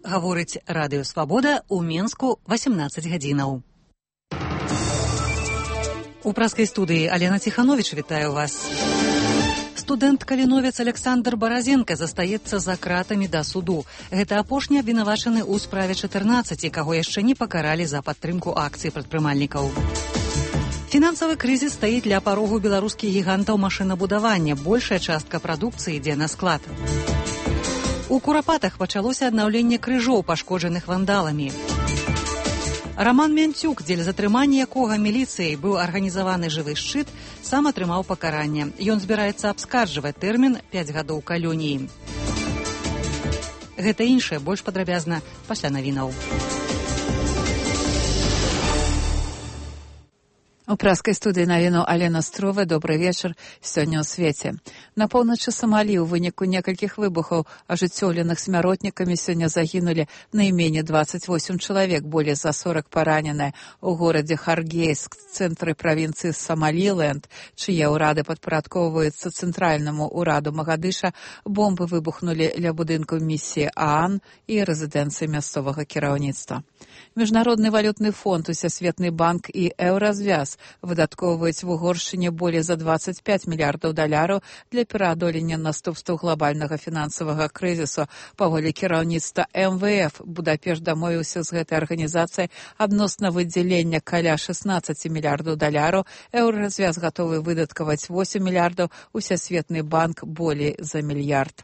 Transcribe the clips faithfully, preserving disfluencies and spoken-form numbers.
гаворыць Радыё Свабода ў Менску васемнаццаць гадзінаў. У праскай студыі Алена Ціхановіч вітаю вас. Студэнт-каліновец Александр Баразенка застаецца за кратамі да суду. Гэта апошні абвінавачаны ў справе чатырнаццаць, каго яшчэ не пакаралі за падтрымку акцый прадпрымальнікаў. Фінансавы крызіс стаіць ля парогу беларускіх гігантаў машынабудавання. Большая частка прадукцыі ідзе на склад. У Курапатах пачалося аднаўленне крыжоў, пашкоджаных вандаламі. Раман Мянцюк, дзеля затрымання якога міліцыяй быў арганізаваны жывы шчыт, сам атрымаў пакаранне. Ён збіраецца абскарджваць тэрмін пяць гадоў калоніі. Гэта іншае больш падрабязна пасля навінаў. У праскай студыі навіну Алена Строва. Добры вечар. Сёння ў свеце. На поўначы Самалі ў выніку некалькіх выбухаў, ажыццёўленых смяротнікамі, сёння загінулі найменей дваццаць восем чалавек, болей за сорок параненыя. У горадзе Харгейск, цэнтры правінцыі Самаліленд, чые ўрады падпарадкоўваюцца цэнтральнаму ўраду Магадыша, бомбы выбухнулі ля будынку місіі ААН і рэзідэнцыі мясцовага кіраўніцтва. Міжнародны валютны фонд, Усесветны банк і Еўразвяз выдаткоўваюць в Угоршчыне болей за дваццаць пяць мільярдаў даляраў для пераадолення наступстваў глобальнага фінансавага крызісу. Паводле кіраўніцтва эм вэ эф, Будапешт дамовіўся з гэтай арганізацыяй адносна выдзялення каля шаснаццаць мільярдаў даляраў, Еўразвяз гатовы выдаткаваць восем мільярдаў, Усесветны банк болей за мільярд.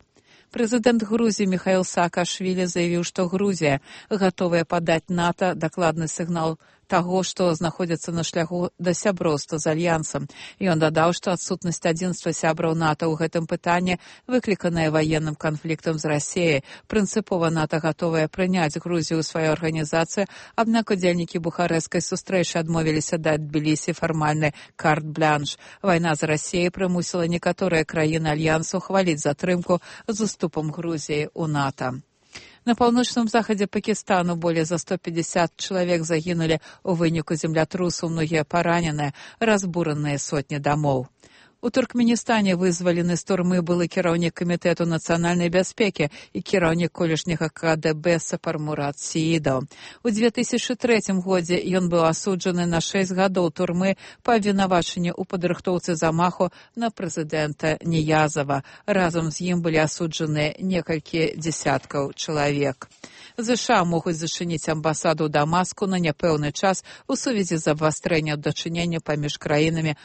Прэзідэнт Грузіі Міхаіл Саакашвілі заявіў, што Грузія гатовая падаць НАТО дакладны сігнал таго, што знаходзіцца на шляху да сяброўства з альянсам. Ён дадаў, што адсутнасць адзінства сябраў НАТО ў гэтым пытанні выкліканая ваенным канфліктам з Расіяй. Прынцыпова НАТО гатовая прыняць Грузію ў сваю арганізацыю, аднак удзельнікі бухарэсцкай сустрэчы адмовіліся даць Тбілісі фармальны карт-блянш. Вайна з Расіяй прымусіла некаторыя краіны альянсу хваліць затрымку з уступам Грузіі ў НАТО. На паўночным захадзе Пакістану болей за сто пятьдесят чалавек загінулі ў выніку землятрусу, многія параненыя, разбураныя сотні дамоў. У Туркменістане вызвалены з турмы былы кіраўнік камітэту нацыянальнай бяспекі і кіраўнік колішняга ка дэ бэ Сапар Мурат Сеідаў. У две тысячы трэцім годзе ён быў асуджаны на шэсць гадоў турмы па абвінавачанні ў падрыхтоўцы замаху на прэзідэнта Ніязава. Разам з ім былі асуджаны некалькі дзесяткаў чалавек. ЗША могуць зачыніць амбасаду ў Дамаску на няпэўны час у сувязі з абвастрэннем дачынення паміж краінамі.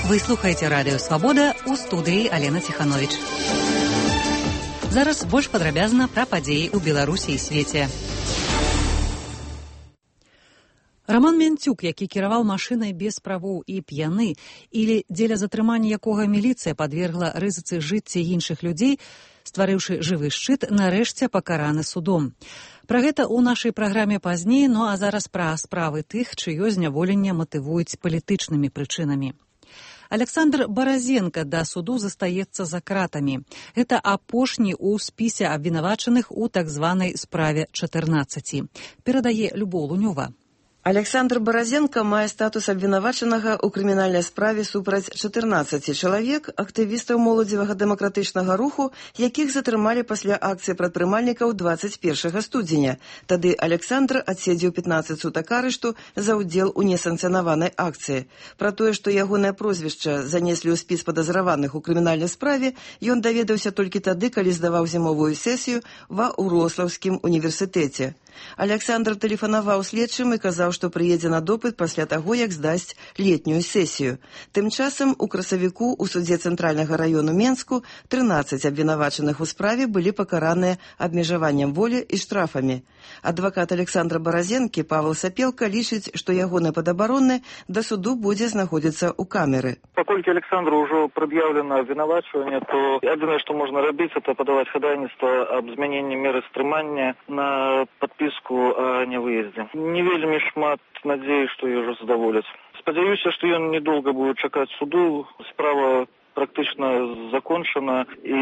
Вы слухаеце Радыё Свабода, у студыі Алена Ціхановіч. Зараз больш падрабязна пра падзеі ў Беларусі і свеце. Раман Мянцюк, які кіраваў машынай без правоў і п'яны, или дзеля затрымання якога міліцыя падвергла рызыцы жыцці іншых людзей, стварыўшы жывы шчыт, нарэшце пакараны судом. Пра гэта ў нашай праграме пазней, ну а зараз пра справы тых, чыё зняволенне матывуюць палітычнымі прычынамі. Александр Баразенка да суду застаецца за кратамі. Гэта апошні ў спісе абвінавачаных у так званай справе чатырнаццаць. Перадае Любоў Лунёва. Александр Баразенка мае статус абвінавачанага ў крымінальнай справе супраць чатырнаццаці чалавек, актывістаў моладзевага дэмакратычнага руху, якіх затрымалі пасля акцыі прадпрымальнікаў дваццаць першага студзеня. Тады Александр адседзеў пятнаццаць сутак арышту за ўдзел у несанкцыянаванай акцыі. Пра тое, што ягонае прозвішча занеслі ў спіс падазраваных у крымінальнай справе, ён даведаўся толькі тады, калі здаваў зімовую сесію ва Ўрослаўскім універсітэце. Александр тэлефанаваў следчым і казаў, што прыедзе на допыт пасля таго, як здасць летнюю сесію. Тым часам у красавіку ў судзе Цэнтральнага раёну Менску трынаццаць абвінавачаных у справе былі пакараныя абмежаваннем волі і штрафамі. Адвакат Александра Баразенкі Павел Сапелка лічыць, што ягоны падабаронны да суду будзе знаходзіцца ў камеры. Паколькі Александру ўжо прад'яўлена абвінавачванне, то адзінае, што можна рабіць, это падаваць хадайніцтва аб змяненні меры стрымання на падпіску о невыездзе. Не вельмі шмат надзеі, што яго задаволяць. Спадзяюся, што ён недолго будет чакаць суду. Справа практычна закончана, і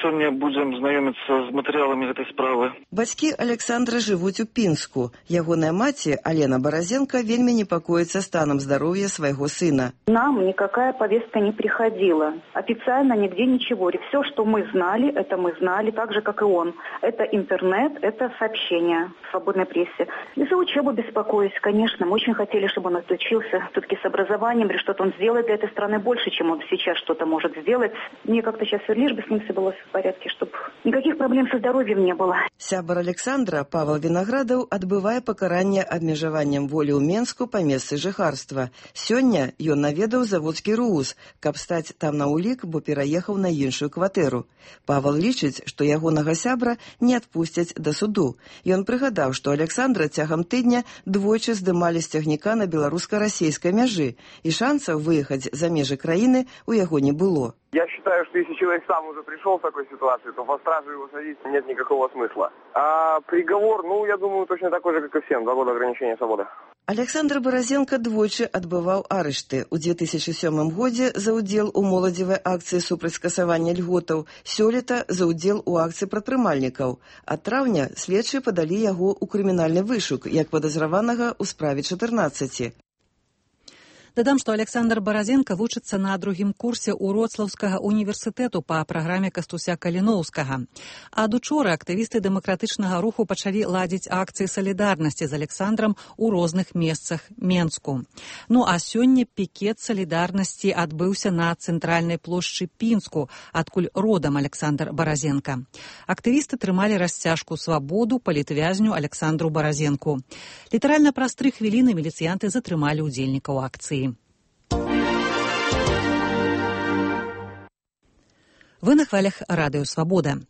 сёння будзем знаёміцца з матэрыяламі гэтай справы. Бацькі Александра жывуць у Пінску. Ягоная маці, Алена Баразенко, вельмі непакоіцца станам здароўя свайго сына. Нам никакая повестка не приходила. Официально нигде ничего. Все, что мы знали, это мы знали, так же, как и он. Это интернет, это сообщения в свободной прессе. И за учебу беспокоюсь, конечно. Мы очень хотели, чтобы он отучился все-таки с образованием, или что-то он сделает для этой страны больше, чем он сейчас что-то может сделать. Мне как-то сейчас лишь бы с ним все было в порядке, чтобы никаких проблем со здоровьем не было. Сябар Александра, Павел Виноградов, адбывае пакаранне абмежаваннем волі ў Менску па месцы жыхарства. Сёння ён наведаў заводскі РУС, каб стаць там на ўлік, бо пераехаў на іншую кватэру. Павел лічыць, што ягонага сябра не адпусцяць да суду. Ён прыгадаў, што Александра цягам тыдня двойчы здымалі з цягніка на беларуска-расейскай мяжы, і шансаў выехаць за межы краіны у яго не было. Я считаю, что если человек сам уже пришел в такой ситуации, то по стражу его садить нет никакого смысла. А приговор, ну, я думаю, точно такой же, как и всем, два года ограничения свободы. Александр Баразенко двойчы адбываў арышты. У две тысячи сёмым годзе за ўдзел у моладзевай акцыі супраць скасавання льготаў, сёлета за ўдзел у акцыі прадпрымальнікаў. Ад траўня следчыя падалі яго ў крымінальны вышук як падазраванага ў справе чатырнаццаці. Дадам, што Александр Баразенко вучыцца на другім курсе Уроцлаўскага універсітэту па праграме Кастуся Каліноўскага. Ад учора актывісты дэмакратычнага руху пачалі ладзіць акцыі салідарнасці з Александрам у розных месцах Менску. Ну а сёння пікет салідарнасці адбыўся на цэнтральнай плошчы Пінску, адкуль родам Александр Баразенко. Актывісты трымалі расцяжку свабоду палітвязню Александру Баразенку. Літаральна праз тры хвіліны міліцыянты затрымалі ўдзельнікаў акцыі. Вы на хвалях радыё «Свабода».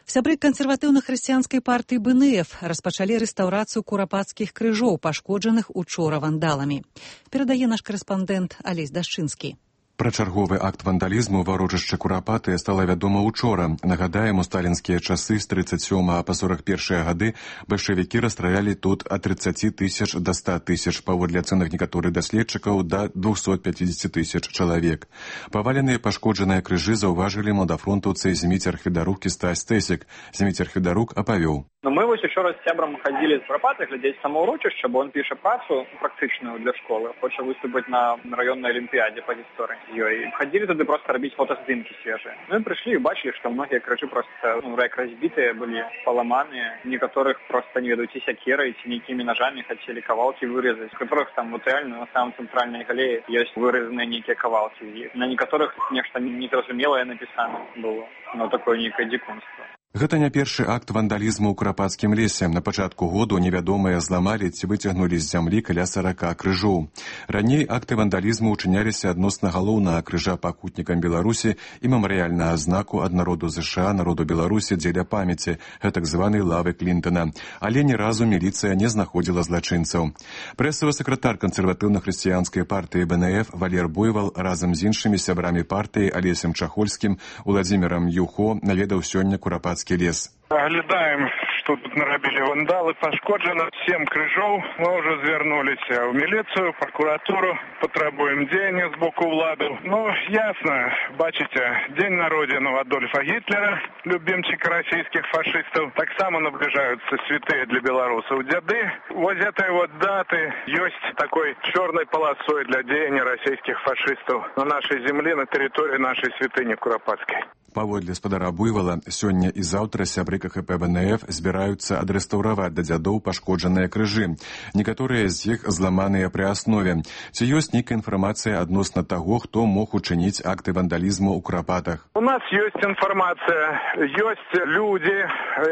Сябры кансерватыўна-хрысціянскай партыі бэ эн эф распачалі рэстаўрацыю курапацкіх крыжоў, пашкоджаных учора вандаламі. Перадае наш корэспандэнт Алесь Дашчынскі. Пра чарговы акт вандалізму ва ўрочышчы Курапаты стала вядома ўчора. Нагадаем, у сталінскія часы з трыццаць сёмага па сорак першыя гады бальшавікі расстралялі тут ад трыццаці тысяч да ста тысяч, паводле ацэнак некаторых даследчыкаў, да двухсот пятьдесят тысяч чалавек. Паваленыя пашкоджаныя крыжы заўважылі младафронтаўцы Зміцер Хведарук і Стась Тэсік. Зміцер Хведарук апавёў. Ну, мы вось учора з сябрам хадзілі з Курапаты глядзець самаўрочышча, бо он піша працу практычную для школы, хоча выступіць на раённай алімпіядзе па гісторыі. Ёй хадзілі туды проста рабіць фотаздымкі свежыя. Ну і прыйшлі і бачылі, што многія крыжы проста ну, рэк разбітыя былі, паламаныя, некаторых проста не ведаюць і сякерай, ці нейкімі нажамі хацелі кавалкі вырэзаць, у которых там вот реально на самом цэнтральнай галеі ёсць вырэзаныя нейкія кавалкі. На некаторых нешта незразумелае напісана было, но такое нейкае дзікунства. Гэта не першы акт вандалізму ў Курапацкім лесе. На пачатку году невядомыя зламалі ці выцягнулі з зямлі каля сарака крыжоў. Раней акты вандалізму ўчыняліся адносна галоўнага крыжа пакутнікам Беларусі і мемарыяльнага знаку ад народу ЗША, народу Беларусі дзеля памяці, гэтак званай лавы Клінтона. Але ні разу міліцыя не знаходзіла злачынцаў. Прэсавы сакратар кансерватыўна-хрысціянскай партыі бэ эн эф Валер Буйвал разам з іншымі сябрамі партыі Алесем Чахольскім, Уладзімірам Юхо наведаў сёння Курапацкі лес. Оглядаем, что тут нарабілі вандалы, пашкоджана сем крыжоў. Мы уже звярнуліся ў міліцыю, прокуратуру, патрабуем дзеяння з боку ўладаў. Ну, ясно, бачыце, дзень народзінаў Адольфа Гітлера, любімчыка расійскіх фашыстаў. Таксама наближаюцца святыя для беларусаў дзяды. Вось этой вот даты ёсць такой чорнай паласой для дзеяння расійскіх фашыстаў на нашай землі, на тэрыторыі нашай святыні Курапацкай. Паводле спадара Буйвала, сёння і заўтра сябры ка ха пэ бэ эн эф збіраюцца адрэстаўраваць да дзядоў пашкоджаныя крыжы. Некаторыя з іх зламаныя пры аснове. Ці ёсць нейкая інфармацыя адносна таго, хто мог учыніць акты вандалізму ў Курапатах? У нас ёсць інфармацыя. Ёсць людзі,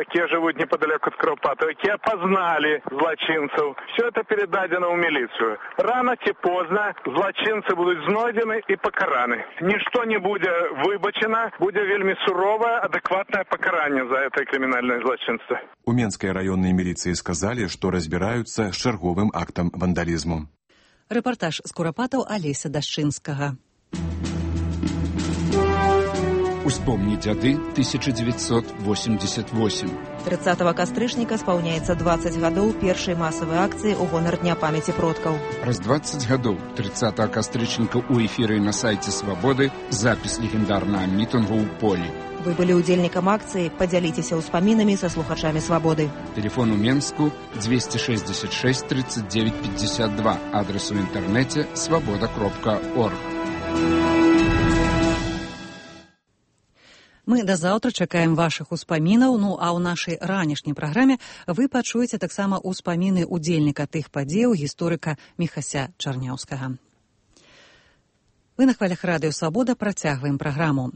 якія жывуць непадалёк ад Курапатаў, якія пазналі злачынцаў. Все это передадзена ў міліцыю. Рана ці позна злачынцы будуць знойдзены і пакараны. Нішто не будзе выбачана, будзе вельмі суровае, адэкватнае пакаранне за это крымінальнае злачынства. У Менскай раённай міліцыі сказалі, што разбіраюцца з чарговым актам вандалізму. Рэпартаж з Курапатаў Алеся Дашчынскага. У Вспомни дяды, тысяча девятьсот восемьдесят восемь. тридцатого кастрычніка спаўняецца двадцать гадоў першай масавай акцыі ў гонар Дня памяці продкаў. Раз двадцать гадоў тридцатого кастрычніка ў эфіры на сайце Свабоды запіс легендарнага мітынгу ў полі. Вы былі ўдзельнікам акцыі, падзяліцеся ўспамінамі са слухачамі Свабоды. Телефон у Менску двести шестьдесят шесть тридцать девять пятьдесят два, адрес у інтэрнэце свабода кропка орг. Мы да заўтра чакаем вашых успамінаў, ну а ў нашай ранішняй праграме вы пачуеце таксама ўспаміны ўдзельніка тых падзеяў гісторыка Міхася Чарняўскага. Вы на хвалях радыё Свабода працягваем праграму.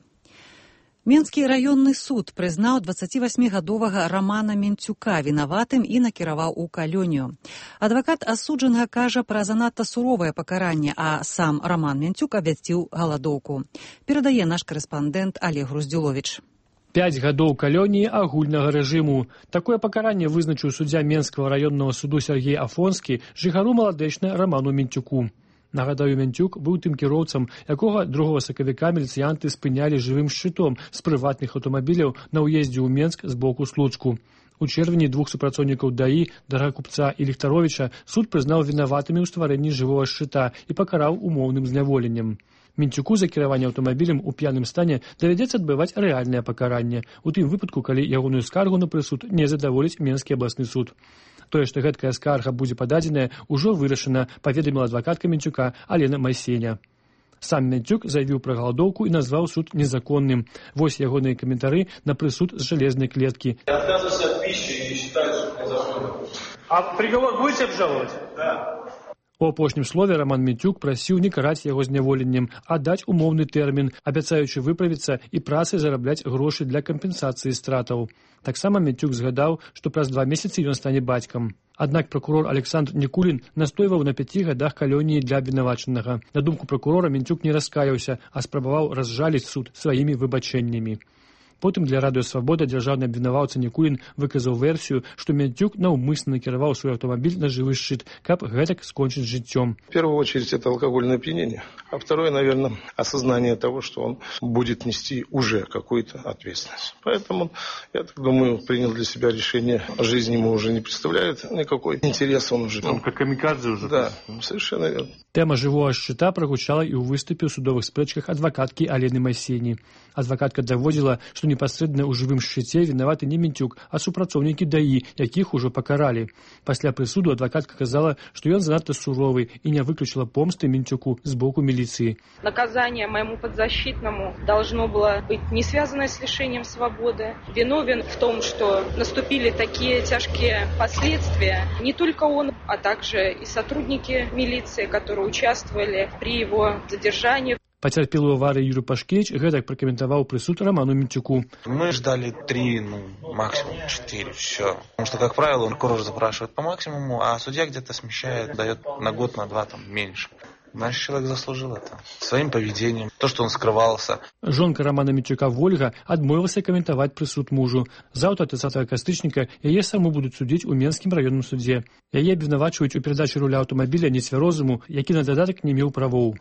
Менскі раённы суд прызнаў дваццацівасьмігадовага Рамана Менцюка вінаватым і накіраваў у калонію. Адвакат асуджанага кажа пра занадта суровае пакаранне, а сам Раман Менцюк абвясціў галадоўку. Перадае наш карэспандэнт Олег Груздзюловіч. Пяць гадоў калоніі агульнага рэжыму. Такое пакаранне вызначыў суддзя Менскага раённага суду Сергей Афонскі жыхару маладэчна Раману Менцюку. Нагадаю, Менцюк быў тым кіроўцам, якога другога сакавіка міліцыянты спынялі жывым шчытом з прыватных аўтамабіляў на ўездзе ў Менск з боку Случку. У чэрвені двух супрацоўнікаў ДАІ, Дарагакупца і Ліхтаровіча, суд прызнаў вінаватымі ў стварэнні жывога шчыта і пакараў умоўным зняволеннем. Менцюку за кіраванне аўтамабілем у п'яным стане давядзецца адбываць рэальнае пакаранне, у тым выпадку, калі ягоную скаргу на прысуд не задаволіць Менскі абласны суд. Тое, што гэткая скарга будзе пададзеная, ужо вырашана, паведаміла адвакатка Менцюка Алена Майсеня. Сам Менцюк заявіў пра галадоўку і назваў суд незаконным. Вось ягоныя каментары на прысуд з жалезнай клеткі. Я отказываюсь от пищи и считаю суд незаконным. А приговор будете обжаловать? Да. У апошнім слове Раман Менцюк прасіў не караць яго зняволеннем, а даць умоўны тэрмін, абяцаючы выправіцца і працай зарабляць грошы для кампенсацыі стратаў. Таксама Менцюк згадаў, што праз два месяцы ён стане бацькам. Аднак пракурор Александр Нікулін настойваў на пяці гадах калоніі для абвінавачанага. На думку пракурора, Менцюк не раскаяўся, а спрабаваў разжаліць суд сваімі выбачэннямі. Потым для радыё Свабода дзяржаўны абвінаваўца Нікулін выказаў версію, што Менцюк наўмысна накіраваў свой аўтамабіль на жывы шчыт, каб гэтак скончыць жыццём. В первую очередь это алкогольное опьянение, а второе, наверное, осознание того, что он будет нести уже какую-то ответственность. Поэтому, я так думаю, принял для себя решение. Жизнь ему уже не представляет никакой интерес, он уже... Он как камикадзе уже. Да, совершенно верно. Тэма жывога шчыта прагучала і ў выступе ў судовых спрэчках адвакаткі Алены Майсені. Адвакатка даводзіла, што непасрэдна ў жывым шчыце вінаваты не Менцюк, а супрацоўнікі ДАІ, якіх ужо пакаралі. Пасля прысуду адвакатка казала, што ён занадта суровы і не выключила помсты Менцюку з боку милиции. Наказание моему подзащитному должно было быть не связано с лишением свободы. Виновен в том, что наступили такие тяжкие последствия. Не только он, а также и сотрудники милиции, которые участвовали при его задержании. Пацярпелы ў аварыі Юрий Пашкевич гэтак прокомментовал прысуд Роману Менцюку. Мы ждали три, ну, максимум четыре, все. Потому что, как правило, прокурор запрашивает по максимуму, а судья где-то смещает, дает на год, на два, там, меньше. Наш человек заслужил это своим поведением, то, что он скрывался. Жонка Романа Менцюка Вольга адмовілася каментаваць прысуд мужу. Заўтра тридцатого кастрычніка яе саму будуць судзіць у Менскім раённым судзе. Яе абвінавачваюць у перадачы руля аўтамабіля нецвярозаму, які на дадатак не меў правоў.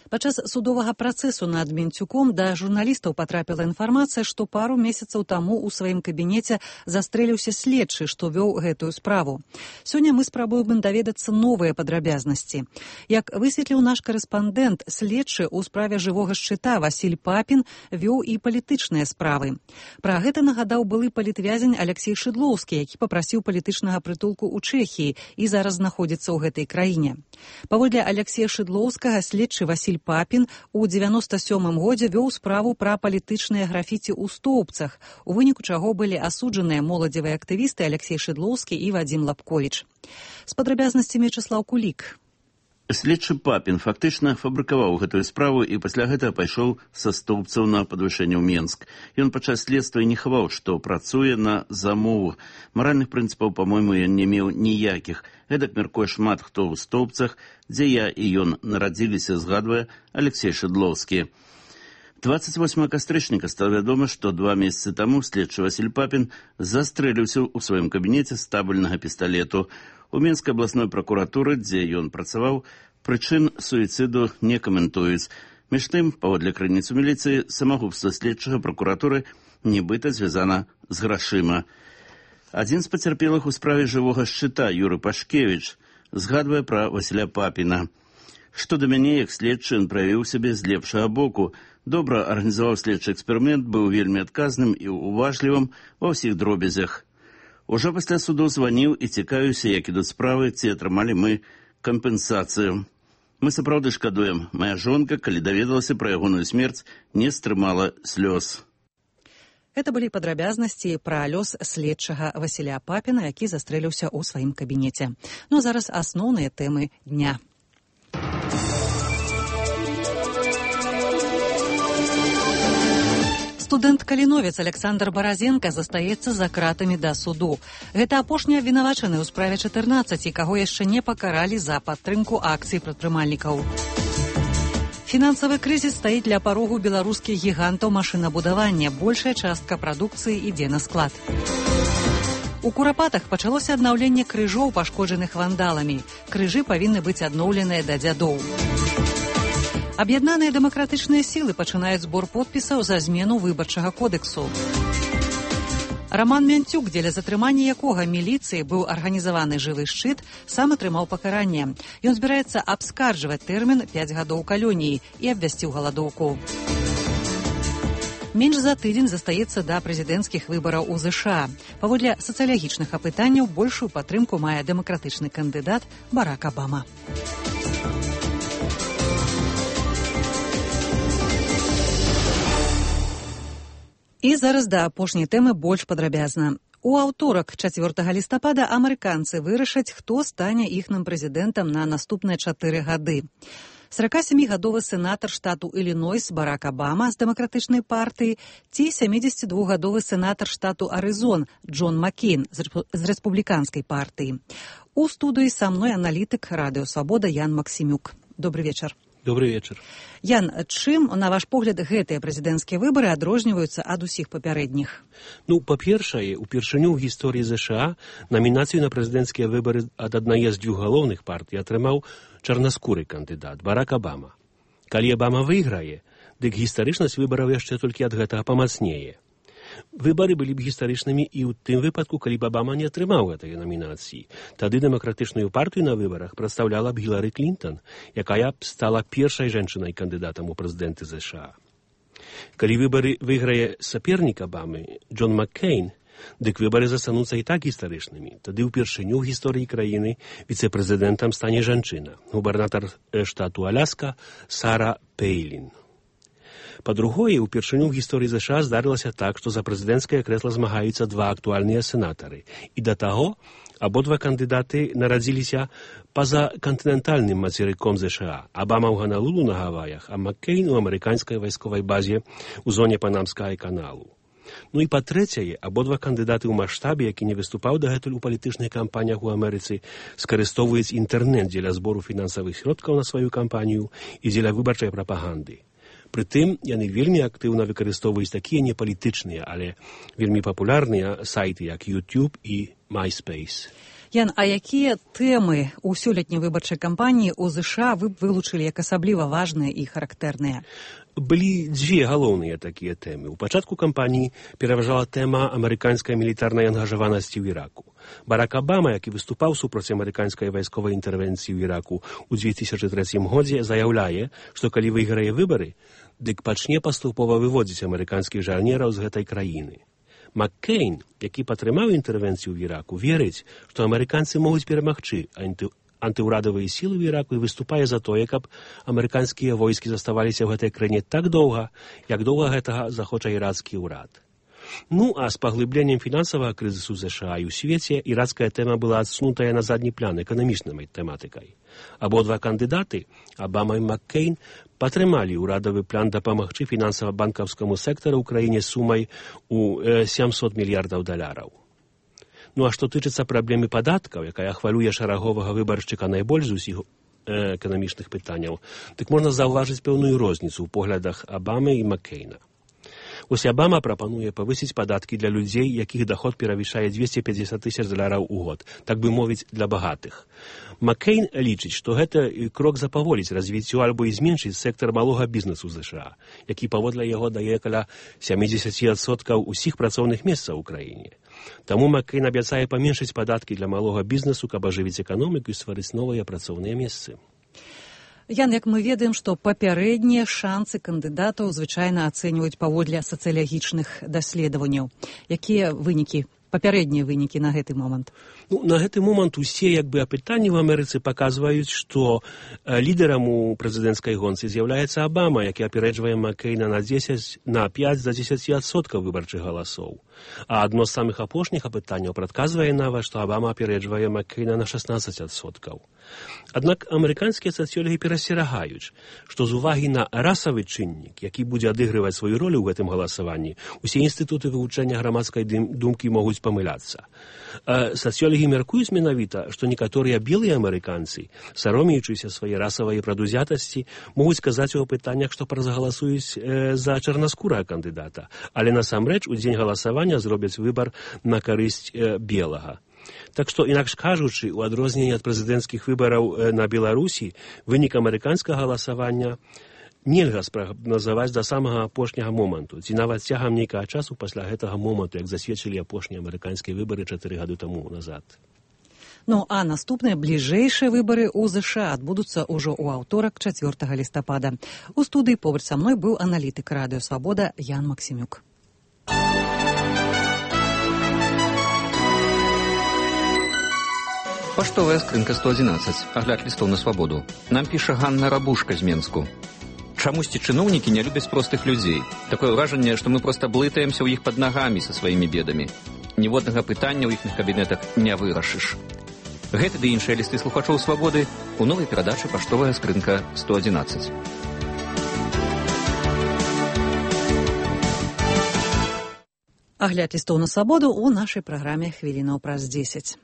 Падчас судовага працэсу над Менцюком да журналістаў патрапіла інфармацыя, што пару месяцаў таму ў сваім кабінеце застрэліўся следчы, што вёў гэтую справу. Сёння мы спрабуем даведацца новыя падрабязнасці. Як высветліў наш карэспандэнт, следчы ў справе жывога шчыта Васіль Папін вёў і палітычныя справы. Пра гэта нагадаў былы палітвязень Алексей Шыдлоўскі, які папрасіў палітычнага прытулку ў Чэхіі і зараз знаходзіцца ў гэтай краіне. Паводле Алексея Шыдлоўскага, следчы Васіль Папін у дзевяноста сёмым годзе вёў справу пра палітычныя графіці ў Стоўбцах, у выніку чаго былі асуджаныя моладзевыя актывісты Алексей Шыдлоўскі і Вадзім Лапковіч. З падрабязнасцямі Вячеслаў Кулік. Следчы Папін фактычна фабрыкаваў гэтую справу і пасля гэтага пайшоў са Стоўбцаў на падвышэнне ў Менск. Ён падчас следства не хаваў, што працуе на замову. Маральных прынцыпаў, па-мойму, ён не меў ніякіх. Гэтак мяркуе шмат хто ў Стоўбцах, дзе я і ён нарадзіліся, згадвае Алексей Шыдлоўскі. двадцать восьмого кастрычніка стала вядома, што два месяцы таму следчы Васіль Папін застрэліўся ў сваім кабінеце з табельнага пісталету. У Менскай абласной пракуратуры, дзе ён працаваў, прычын суіцыду не каментуюць. Між тым, паводле крыніц у міліцыі, самагубства следчага пракуратуры нібыта звязана з грашыма. Адзін з пацярпелых у справе жывога шчыта, Юры Пашкевіч, згадвае пра Васіля Папіна. Што да мяне, як следчы, ён праявіў сябе з лепшага боку. Добра арганізаваў следчы эксперымент, быў вельмі адказным і уважлівым ва ўсіх дробязях. Ужо пасля суду званіў і цікавіўся, як ідуць справы, ці атрымалі мы кампенсацыю. Мы сапраўды шкадуем. Мая жонка, калі даведалася пра ягоную смерць, не стрымала слёз. Это былі падрабязнасці пра лёс следчага Васіля Папіна, які застрэліўся ў сваім кабінеце. Ну а зараз асноўныя тэмы дня. Студэнт-каліновец Александр Баразенка застаецца за кратамі да суду. Гэта апошні абвінавачаны ў справе чатырнаццаць, каго яшчэ не пакаралі за падтрымку акцый прадпрымальнікаў. Фінансавы крызіс стаіць ля парогу беларускіх гігантаў машынабудавання. Большая частка прадукцыі ідзе на склад. У Курапатах пачалося аднаўленне крыжоў, пашкоджаных вандаламі. Крыжы павінны быць адноўленыя да дзядоў. Аб'яднаныя дэмакратычныя сілы пачынаюць збор подпісаў за змену выбарчага кодексу. Раман Мянцюк, дзеля затрымання якога міліцыі быў арганізаваны жывы шчыт, сам атрымаў пакаранне. Ён збіраецца абскарджваць тэрмін пяць гадоў калоніі і абвясціў галадоўку. Менш за тыдзень застаецца да прэзідэнцкіх выбараў у ЗША. Паводле сацыялагічных апытанняў большую падтрымку мае дэмакратычны кандыдат Барак Абама. І зараз да апошняй тэмы больш падрабязна. У аўторак, чацвёртага лістапада, амерыканцы вырашаць, хто стане іхным прэзідэнтам на наступныя чатыры гады. саракасямігадовы сенатар штату Ілінойс Барак Абама з дэмакратычнай партыі ці сямідзесятидвухгадовы сенатар штату Арызон Джон Маккейн з рэспубліканскай партыі. У студыі са мной аналітык Радыё Свабода Ян Максімюк. Добрый вечар. Добрый вечар. Ян, чым, на ваш погляд, гэтыя прэзідэнцкія выбары адрозніваюцца ад усіх папярэдніх? Ну, па-першае, упершыню ў гісторыі ЗША намінацыю на прэзідэнцкія выбары ад аднае з дзвюх галоўных партый атрымаў чарнаскуры кандыдат Барак Абама. Калі Абама выйграе, дык гістарычнасць выбараў яшчэ толькі ад гэтага памацнее. Выбары былі б гістарычнымі і ў тым выпадку, калі б Абама не атрымаў гэтай намінацыі. Тады дэмакратычную партыю на выбарах прадстаўляла б Гілары Клінтон, якая б стала першай жанчынай-кандыдатам у прэзідэнты ЗША. Калі выбары выйграе сапернік Абамы, Джон Маккейн, дык выбары застануцца і так гістарычнымі. Тады ўпершыню ў гісторыі краіны віцэ-прэзідэнтам стане жанчына, губернатар штату Аляска Сара Пейлін. Па-другое, упершыню ў гісторыі ЗША здарылася так, што за прэзідэнцкае крэсла змагаюцца два актуальныя сенатары. І да таго, абодва кандыдаты нарадзіліся па-за кантынентальным мацерыком ЗША. Абама ў Ганалулу на Гаваях, а Маккейн у амерыканскай вайсковай базе ў зоне Панамскага каналу. Ну і па-трэцяе, абодва кандыдаты ў маштабе, які не выступаў дагэтуль у палітычных кампаніях у Амерыцы, скарыстоўваюць інтэрнэт дзеля збору фінансавых сродкаў на сваю кампанію і дзеля выбарчай прапаганды. Прытым, яны вельмі актыўна выкарыстоўваюць такія непалітычныя, але вельмі папулярныя сайты, як YouTube і MySpace. Ян, а якія тэмы ў сёлетняй выбарчай кампаніі ў ЗША вы б вылучылі як асабліва важныя і характэрныя? Былі дзве галоўныя такія тэмы. У пачатку кампаніі пераважала тэма амерыканскай мілітарнай ангажаванасці ў Іраку. Барак Абама, які выступаў супраць амерыканскай вайсковай інтэрвенцыі ў Іраку ў дзве тысячы трэцім годзе, заяўляе, што калі выйграе выбары, дык пачне паступова выводзіць амерыканскіх жарнераў з гэтай краіны. Маккейн, які падтрымаў інтэрвенцыю ў Іраку, верыць, што амерыканцы могуць перамагчы анты... антыўрадавыя сілы ў Іраку і выступае за тое, каб амерыканскія войскі заставаліся ў гэтай краіне так доўга, як доўга гэтага захоча ірацкі ўрад. Ну, а з паглыбленнем фінансавага крызісу ЗША і ў свеце ірацкая тэма была адсунутая на задні план эканамічнай тэматыкай. Абодва кандыдаты, Абама і Маккейн, падтрымалі ўрадавы план дапамагчы фінансава-банкаўскаму сектару ў краіне сумай у э, сямсот мільярдаў даляраў. Ну а што тычыцца праблемы падаткаў, якая хвалюе шараговага выбаршчыка найбольш з усіх э, эканамічных пытанняў, дык можна заўважыць пэўную розніцу ў поглядах Абамы і Маккейна. Вось Абама прапануе павысіць падаткі для людзей, якіх доход перавышае двести пятьдесят тысяч даляраў у год, так бы мовіць, для багатых. Маккейн лічыць, што гэта крок запаволіць развіццё альбо і зменшыць сектар малога бізнесу США, які паводле яго дае каля сямдзесят адсоткаў усіх працоўных месцаў у краіне. Таму Маккейн абяцае паменшыць падаткі для малога бізнесу, каб ажывіць эканоміку і стварыць новыя працоўныя месцы. Ян, як мы ведаем, што папярэднія шансы кандыдатаў звычайна ацэньваюць паводле сацыялагічных даследаванняў. Якія вынікі, папярэднія вынікі на гэты момант? Ну, на гэты момант усе як бы апытанні в Амерыцы паказваюць, што э, лідарам у прэзідэнцкай гонцы з'яўляецца Абама, які апярэджвае Маккейна на дзесяць на пяць да дзесяці адсоткаў выбарчых галасоў. А адно з самых апошніх апытанняў прадказвае нават, што Абама апярэджвае Маккейна на шаснаццаць адсоткаў. Аднак амерыканскія сацыёлагі перасцерагаюць, што з увагі на расавы чыннік, які будзе адыгрываць сваю ролю ў гэтым галасаванні, усе інстытуты вывучэння грамадскай думкі могуць памыляцца. Э, сацыёлагі мяркуюць менавіта, што некаторыя белыя амерыканцы, саромеючыся свае расавай прадузятасці, могуць сказаць у апытаннях, што празагаласуюць э, за чарнаскурага кандыдата, але насамрэч у дзень галасавання зробяць выбар на карысць э, белага. Так што, інакш кажучы, у адрозненні ад прэзідэнцкіх выбараў на Беларусі, вынік амерыканскага галасавання нельга спрагназаваць да самага апошняга моманту, ці нават цягам нейкага часу пасля гэтага моманту, як засведчылі апошнія амерыканскія выбары чатыры гады таму назад. Ну, а наступныя бліжэйшыя выбары ў ЗША адбудуцца ўжо ў аўторак чацвёртага лістапада. У студыі побач са мной быў аналітык радыё «Свабода» Ян Максімюк. Паштовая скрынка сто адзінаццаць. Агляд лістоў на свабоду. Нам піша Ганна Рабушка з Менску. Чамусьці чыноўнікі не любяць простых людзей. Такое ўражанне, што мы проста блытаемся ў іх пад нагамі са сваімі бедамі. Ніводнага пытання ў іхных кабінетах не вырашыш. Гэты ды іншыя лісты слухачоў свабоды у новай перадачы «Паштовая скрынка сто адзінаццаць». Агляд лістоў на свабоду ў нашай праграме «Хвілінаў праз дзесяць».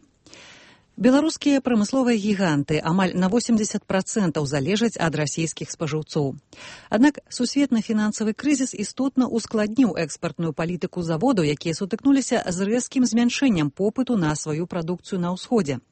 Беларускія прамысловыя гіганты амаль на восемьдесят процентаў залежаць ад расійскіх спажыўцоў. Аднак сусветны фінансавы крызіс істотна ускладніў экспартную палітыку заводу, якія сутыкнуліся з рэзкім змяншэннем попыту на сваю прадукцыю на ўсходзе.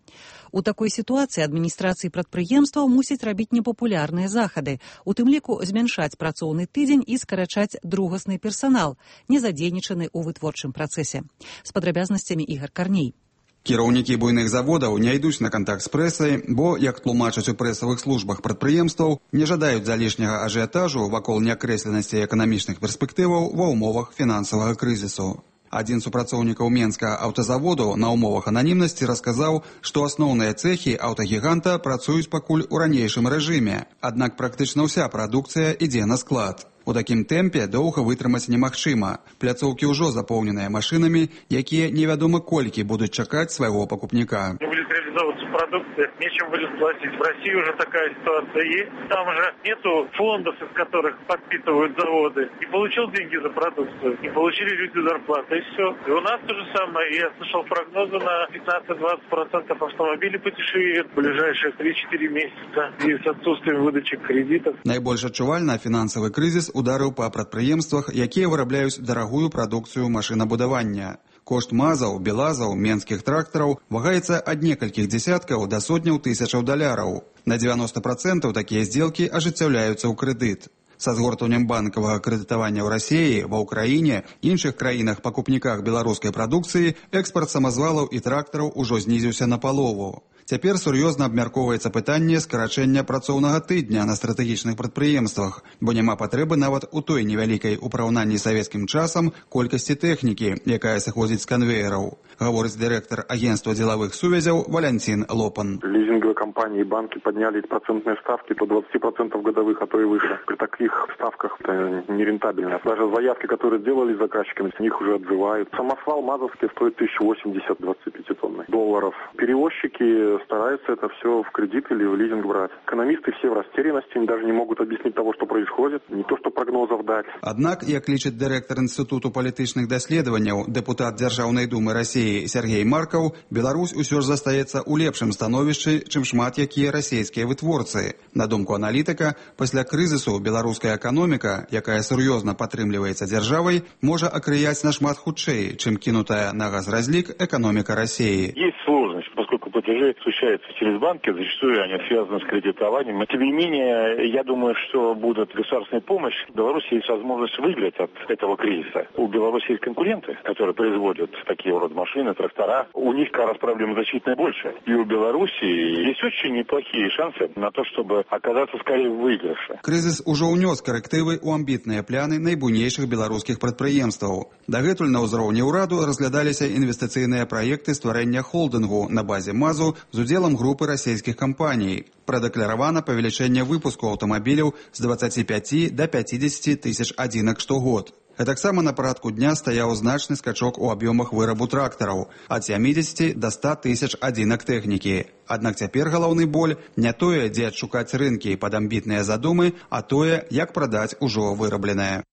У такой сітуацыі адміністрацыі прадпрыемстваў мусяць рабіць непапулярныя захады, у тым ліку змяншаць працоўны тыдзень і скарачаць другасны персанал, не задзейнічаны ў вытворчым працэсе. З падрабязнасцямі Ігар Карней. Кіраўнікі буйных заводаў не ідуць на кантакт з прэсай, бо, як тлумачаць у прэсавых службах прадпрыемстваў, не жадаюць залішняга ажыятажу вакол неакрэсленасці эканамічных перспектываў ва ўмовах фінансавага крызісу. Адзін з супрацоўнікаў Менскага аўтазаводу на ўмовах ананімнасці расказаў, што асноўныя цэхі аўтагіганта працуюць пакуль у ранейшым рэжыме, аднак практычна ўся прадукцыя ідзе на склад. У такім тэмпе доўга вытрымаць немагчыма. Пляцоўкі ўжо запоўненыя машынамі, якія невядома колькі будуць чакаць свайго пакупніка. Будет реализовываться продукция, нечем будет платить. В России уже такая ситуация есть. Там же нету фондов, из которых подпитывают заводы. Не получил деньги за продукцию, не получили люди зарплаты, и все. И у нас то же самое. Я слышал прогнозы на пятнадцать-двадцать процентов автомобилей подешевеют в ближайшие три-четыре месяца. И с отсутствием выдачи кредитов. Найбольш адчувальна фінансавы крызіс ударыў па прадпрыемствах, якія вырабляюць дарагую прадукцыю машынабудавання. Кошт мазаў, белазаў, менскіх трактараў вагаецца ад некалькіх дзесяткаў да сотняў тысячаў даляраў. На дзевяноста процентаў такія здзелкі ажыццяўляюцца ў крэдыт. Са згортваннем банкавага крэдытавання ў Расіі, ва Ўкраіне, іншых краінах-пакупніках беларускай прадукцыі экспарт самазвалаў і трактараў ужо знізіўся на палову. Цяпер сур'ёзна абмяркоўваецца пытанне скарачэння працоўнага тыдня на стратэгічных прадпрыемствах, бо няма патрэбы нават у той невялікай у параўнанні з савецкім часам колькасці тэхнікі, якая сыходзіць з канвеераў, гаворыць дырэктар агентства дзелавых сувязяў Валянцін Лопан. Лизинговые компании и банки подняли процентные ставки до двадцати процентов годовых, а то и выше. При таких ставках это нерентабельно. Даже заявки, которые сделали заказчиками, с них уже отзывают. Самосвал мазовский стоит тысяча восемьдесят двадцать пять тонн долларов. Перевозчики стараются это все в кредит или в лизинг брать. Экономисты все в растерянности, они даже не могут объяснить того, что происходит, не то что прогнозов дать. Аднак, як лічыць дырэктар Інстытуту палітычных даследаванняў, дэпутат Дзяржаўнай думы Расіі Сергей Маркаў, Беларусь усё ж застаецца ў лепшым становішчы, чым шмат якія расійскія вытворцы. На думку аналітыка, пасля крызісу беларуская эканоміка, якая сур'ёзна падтрымліваецца дзяржавай, можа акрыяць нашмат хутчэй, чым кинутая на газразлик экономика России. Есть сложность, поскольку платежи осуществляются через банки, зачастую они связаны с кредитованием. Но, тем не менее, я думаю, что будет государственная помощь. В Беларуси есть возможность выиграть от этого кризиса. У Беларуси есть конкуренты, которые производят такие вот машины, трактора. У них как раз проблем значительно больше. И у Беларуси есть очень неплохие шансы на то, чтобы оказаться скорее в выигрыше. Кризис уже унес коррективы у амбітныя пляны найбуйнейшых беларускіх прадпрыемстваў. Дагэтуль на ўзроўні ўраду разглядаліся інвестыцыйныя праекты стварэння холдынгу на базе МАЗу з удзелам групы расійскіх кампаній. Прадэкларавана павелічэнне выпуску аўтамабіляў з двадцати пяти до пятидесяти тысяч адзінак штогод. Гэтаксама на парадку дня стаяў значны скачок у аб'ёмах вырабу трактараў ад сямідзесяці до ста тысяч адзінак тэхнікі. Аднак цяпер галоўны боль не тое, дзе адшукаць рынкі пад амбітныя задумы, а тое, як прадаць ужо вырабленае.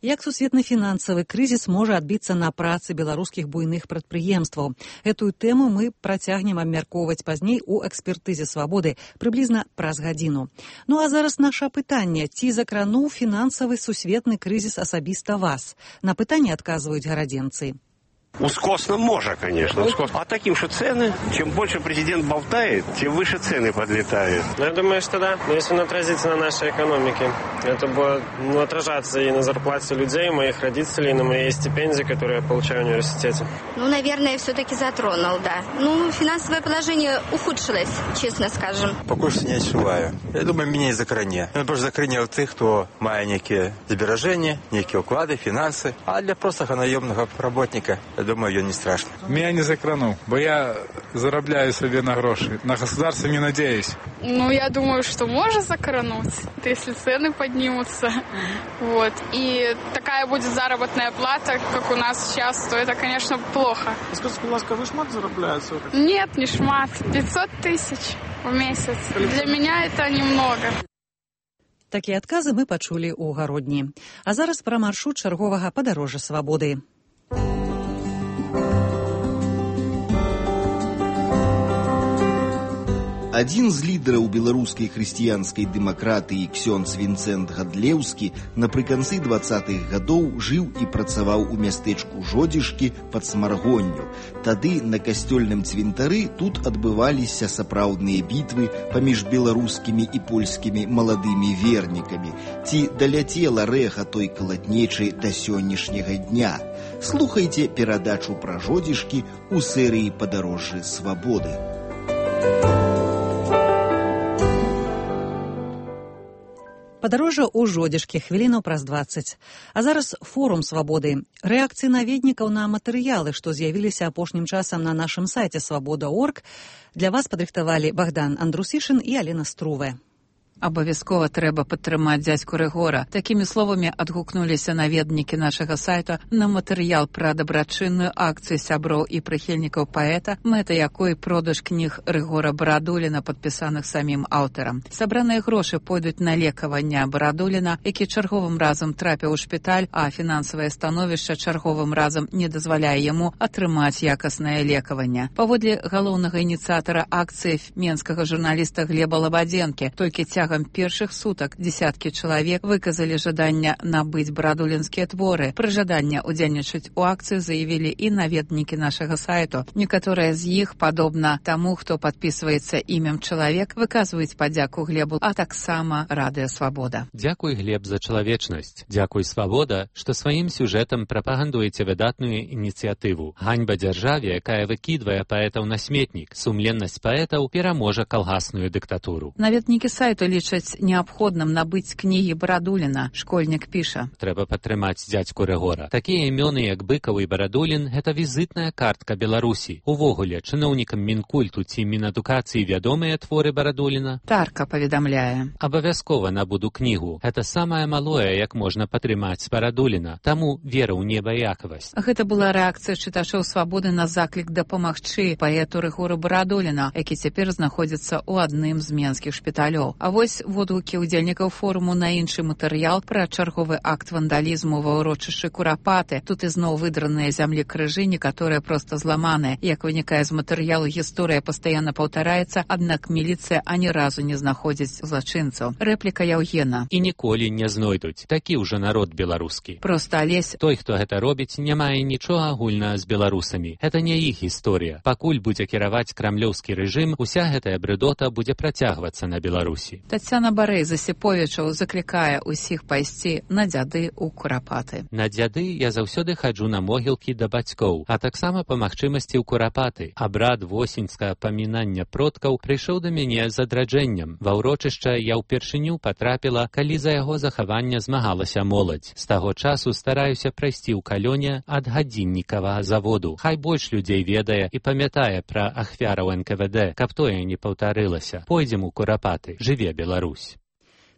Як сусветны фінансавы крызіс можа адбіцца на працы беларускіх буйных прадпрыемстваў? Гэтую тэму мы працягнем абмяркоўваць пазней у экспертызе свабоды прыблізна праз гадзіну. Ну а зараз наша пытанне: ці закрануў фінансавы сусветны крызіс асабіста вас? На пытанне адказваюць гарадзенцы. Ускосно можно, конечно. Ускосно. А таким что цены, чем больше президент болтает, тем выше цены подлетают. Ну, я думаю, что да. Но если он отразится на нашей экономике, это будет ну, отражаться и на зарплате людей, моих родителей, и на моей стипендии, которую я получаю в университете. Ну, наверное, все-таки затронул, да. Ну, финансовое положение ухудшилось, честно скажем. Поки що не відчуваю. Я думаю, мене закране. Він просто закране тих, хто має які збереження, які уклади, фінанси. А для простого наємного працівника, я думаю, ее не страшно. Меня не закранул, бо я заробляю себе на гроши. На государство не надеюсь. Ну, я думаю, что может закрануть, если цены поднимутся. Вот. И такая будет заработная плата, как у нас сейчас, то это, конечно, плохо. Скажите, пожалуйста, вы шмат заробляете? Нет, не шмат. пятьсот тысяч в месяц. Для меня это немного. Такія адказы мы пачулі ў гародні. А зараз пра маршрут чарговага падарожжа свабоды. Адзін з лідараў беларускай хрысціянскай дэмакратыі ксёндз Вінцэнт Гадлеўскі напрыканцы дваццатых гадоў жыў і працаваў у мястэчку Жодзішкі пад Смаргонню. Тады на касцёльным цвінтары тут адбываліся сапраўдныя бітвы паміж беларускімі і польскімі маладымі вернікамі. Ці даляцела рэха той калатнечы да сённяшняга дня? Слухайце перадачу пра Жодзішкі ў серыі «Падарожжы свабоды». Падарожжа ў Жодзішкі хвілінаў праз дваццаць. А зараз форум свабоды. Рэакцыі наведнікаў на матэрыялы, што з'явіліся апошнім часам на нашым сайце свабода точка орг, для вас падрыхтавалі Богдан Андрусішын і Алена Струве. Абавязкова трэба падтрымаць дзядзьку Рыгора. Такімі словамі адгукнуліся наведнікі нашага сайта на матэрыял пра дабрачынную акцыю сяброў і прыхільнікаў паэта, мэта якой продаж кніг Рыгора Барадуліна, падпісаных самім аўтарам. Сабраныя грошы пойдуць на лекаванне Барадуліна, які чарговым разам трапіў у шпіталь, а фінансавае становішча чарговым разам не дазваляе яму атрымаць якаснае лекаванне. Паводле галоўнага ініцыятара акцыі менскага журналіста Глеба Лабадзенкі, толькі цягам першых сутак десяткі чалавек выказалі жаданне набыць барадулінскія творы. Пры жаданне ўдзельнічаць у акцыі заявілі і наведнікі нашага сайту. Некаторыя з іх, падобна таму, хто падпісваецца імем чалавек, выказваюць падзяку Глебу, а таксама Радыё Свабода. Дзякуй, Глеб, за чалавечнасць. Дзякуй, Свабода, што сваім сюжэтам прапагандуеце выдатную ініцыятыву. Ганьба дзяржаве, якая выкідвае паэтаў на сметнік. Сумленнасць паэтаў пераможа калгасную дыктатуру. Наведнікі сайту лічаць неабходным набыць кнігі Барадуліна. Школьнік піша. Трэба падтрымаць дзядзьку Рыгора. Такія імёны, як Быкаў і Барадулін, гэта візітная картка Беларусі. Увогуле, чыноўнікам Мінкульту ці Мінадукацыі вядомыя творы Барадуліна? Тарка паведамляе. Абавязкова набуду кнігу. Гэта самае малое, як можна падтрымаць Барадуліна. Таму вера ў небаякавасць. Гэта была рэакцыя чытачоў «Свабоды» на заклік дапамагчы паэту Рыгору Барадуліна, які цяпер знаходзіцца ў адным з менскіх шпіталёў. А вось водгукі ўдзельнікаў форуму на іншы матэрыял пра чарговы акт вандалізму ва ўрочышчы Курапаты. Тут ізноў выдраныя зямлі крыжы, некаторыя проста зламаныя. Як вынікае з матэрыялу, гісторыя пастаянна паўтараецца, аднак міліцыя ані разу не знаходзіць злачынцаў. Рэпліка Яўгена. І ніколі не знойдуць. Такі ўжо народ беларускі. Проста Алесь. Той, хто гэта робіць, не мае нічога агульнага з беларусамі. Гэта не іх гісторыя. Пакуль будзе кіраваць крамлёўскі рэжым, уся гэтая брыдота будзе працягвацца на Беларусі. Тацяна Барэй з Асіповічаў заклікае ўсіх пайсці на дзяды ў Курапаты. На дзяды я заўсёды хаджу на могілкі да бацькоў, а таксама па магчымасці ў Курапаты. Абрад восеньскага памінання продкаў прыйшоў да мяне з адраджэннем. Ва ўрочышча я ўпершыню патрапіла, калі за яго захаванне змагалася моладзь. З таго часу стараюся прайсці ў калёне ад гадзіннікавага заводу. Хай больш людзей ведае і памятае пра ахвяраў эн ка вэ дэ, каб тое не паўтарылася. Пойдзем у Курапаты. Жыве Беларусь.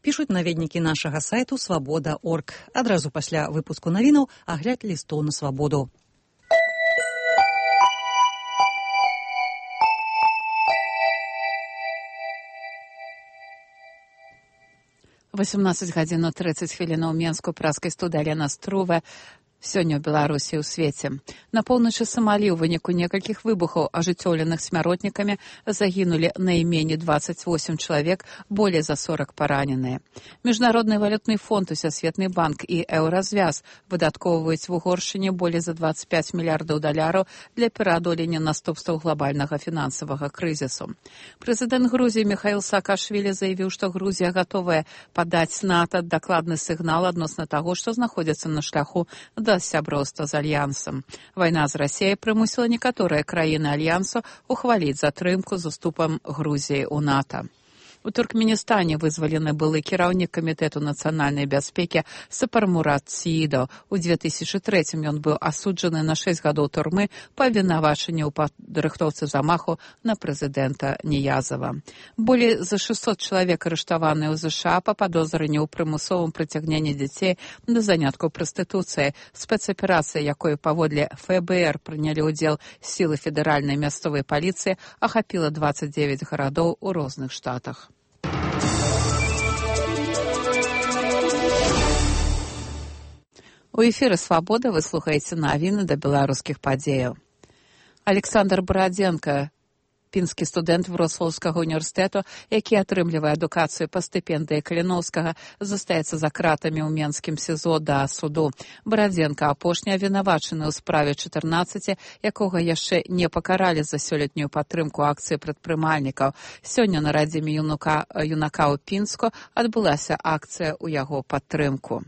Пішуць наведнікі нашага сайту свабода точка орг. Адразу пасля выпуску навінаў агляд лістоў на свабоду. восемнадцать гадзін тридцать хвілін у Менску, праскай студыі Алена Струве. Сёння ў Беларусі ў свеце. На поўначы Самалі ў выніку некалькіх выбухаў, ажыццёўленых смяротнікамі, загінулі найменей двадцать восемь чалавек, болей за сорок параненыя. Міжнародны валютны фонд, Усесветны банк і Еўразвяз выдаткоўваюць в Угоршчыне болей за двадцать пять мільярдаў даляраў для пераадолення наступстваў глобальнага фінансавага крызісу. Прэзідэнт Грузіі Міхаіл Саакашвілі заявіў, што Грузія гатовая падаць НАТО дакладны сігнал адносна таго, што знаходзіцца на шляху да сяброўства з Альянсам. Вайна з Расіяй прымусіла некаторыя краіны Альянсу ухваліць затрымку з уступам Грузіі ў НАТО. У Туркменістане вызвалены былы кіраўнік камітэту нацыянальнай бяспекі Сапар Мурат Сиидов. У две тысячи третьем ён быў асуджаны на шесть гадоў турмы па абвінавачанні ў падрыхтоўцы замаху на прэзідэнта Ніязава. Болей за шестьсот чалавек арыштаваныя ў ЗША па падозрыні ў прымусовым прыцягненні дзяцей да заняткаў прастытуцыяй. Спецаперацыя, якой паводле эф бэ эр прынялі ўдзел сілы федэральнай мясцовай паліцыі, ахапіла двадцать девять гарадоў у розных штатах. У эфіры «Свабода» вы слухаеце навіны да беларускіх падзеяў. Александр Барадзенка, пінскі студэнт Вроцлаўскага універсітэту, які атрымлівае адукацыю па стыпендыі Каліноўскага, застаецца за кратамі ў Менскім СІЗО да суду. Барадзенка апошні абвінавачаны ў справе чатырнаццаць, якога яшчэ не пакаралі за сёлетнюю падтрымку акцыі прадпрымальнікаў. Сёння на радзіме юнака, юнака ў Пінску адбылася акцыя ў яго падтрымку.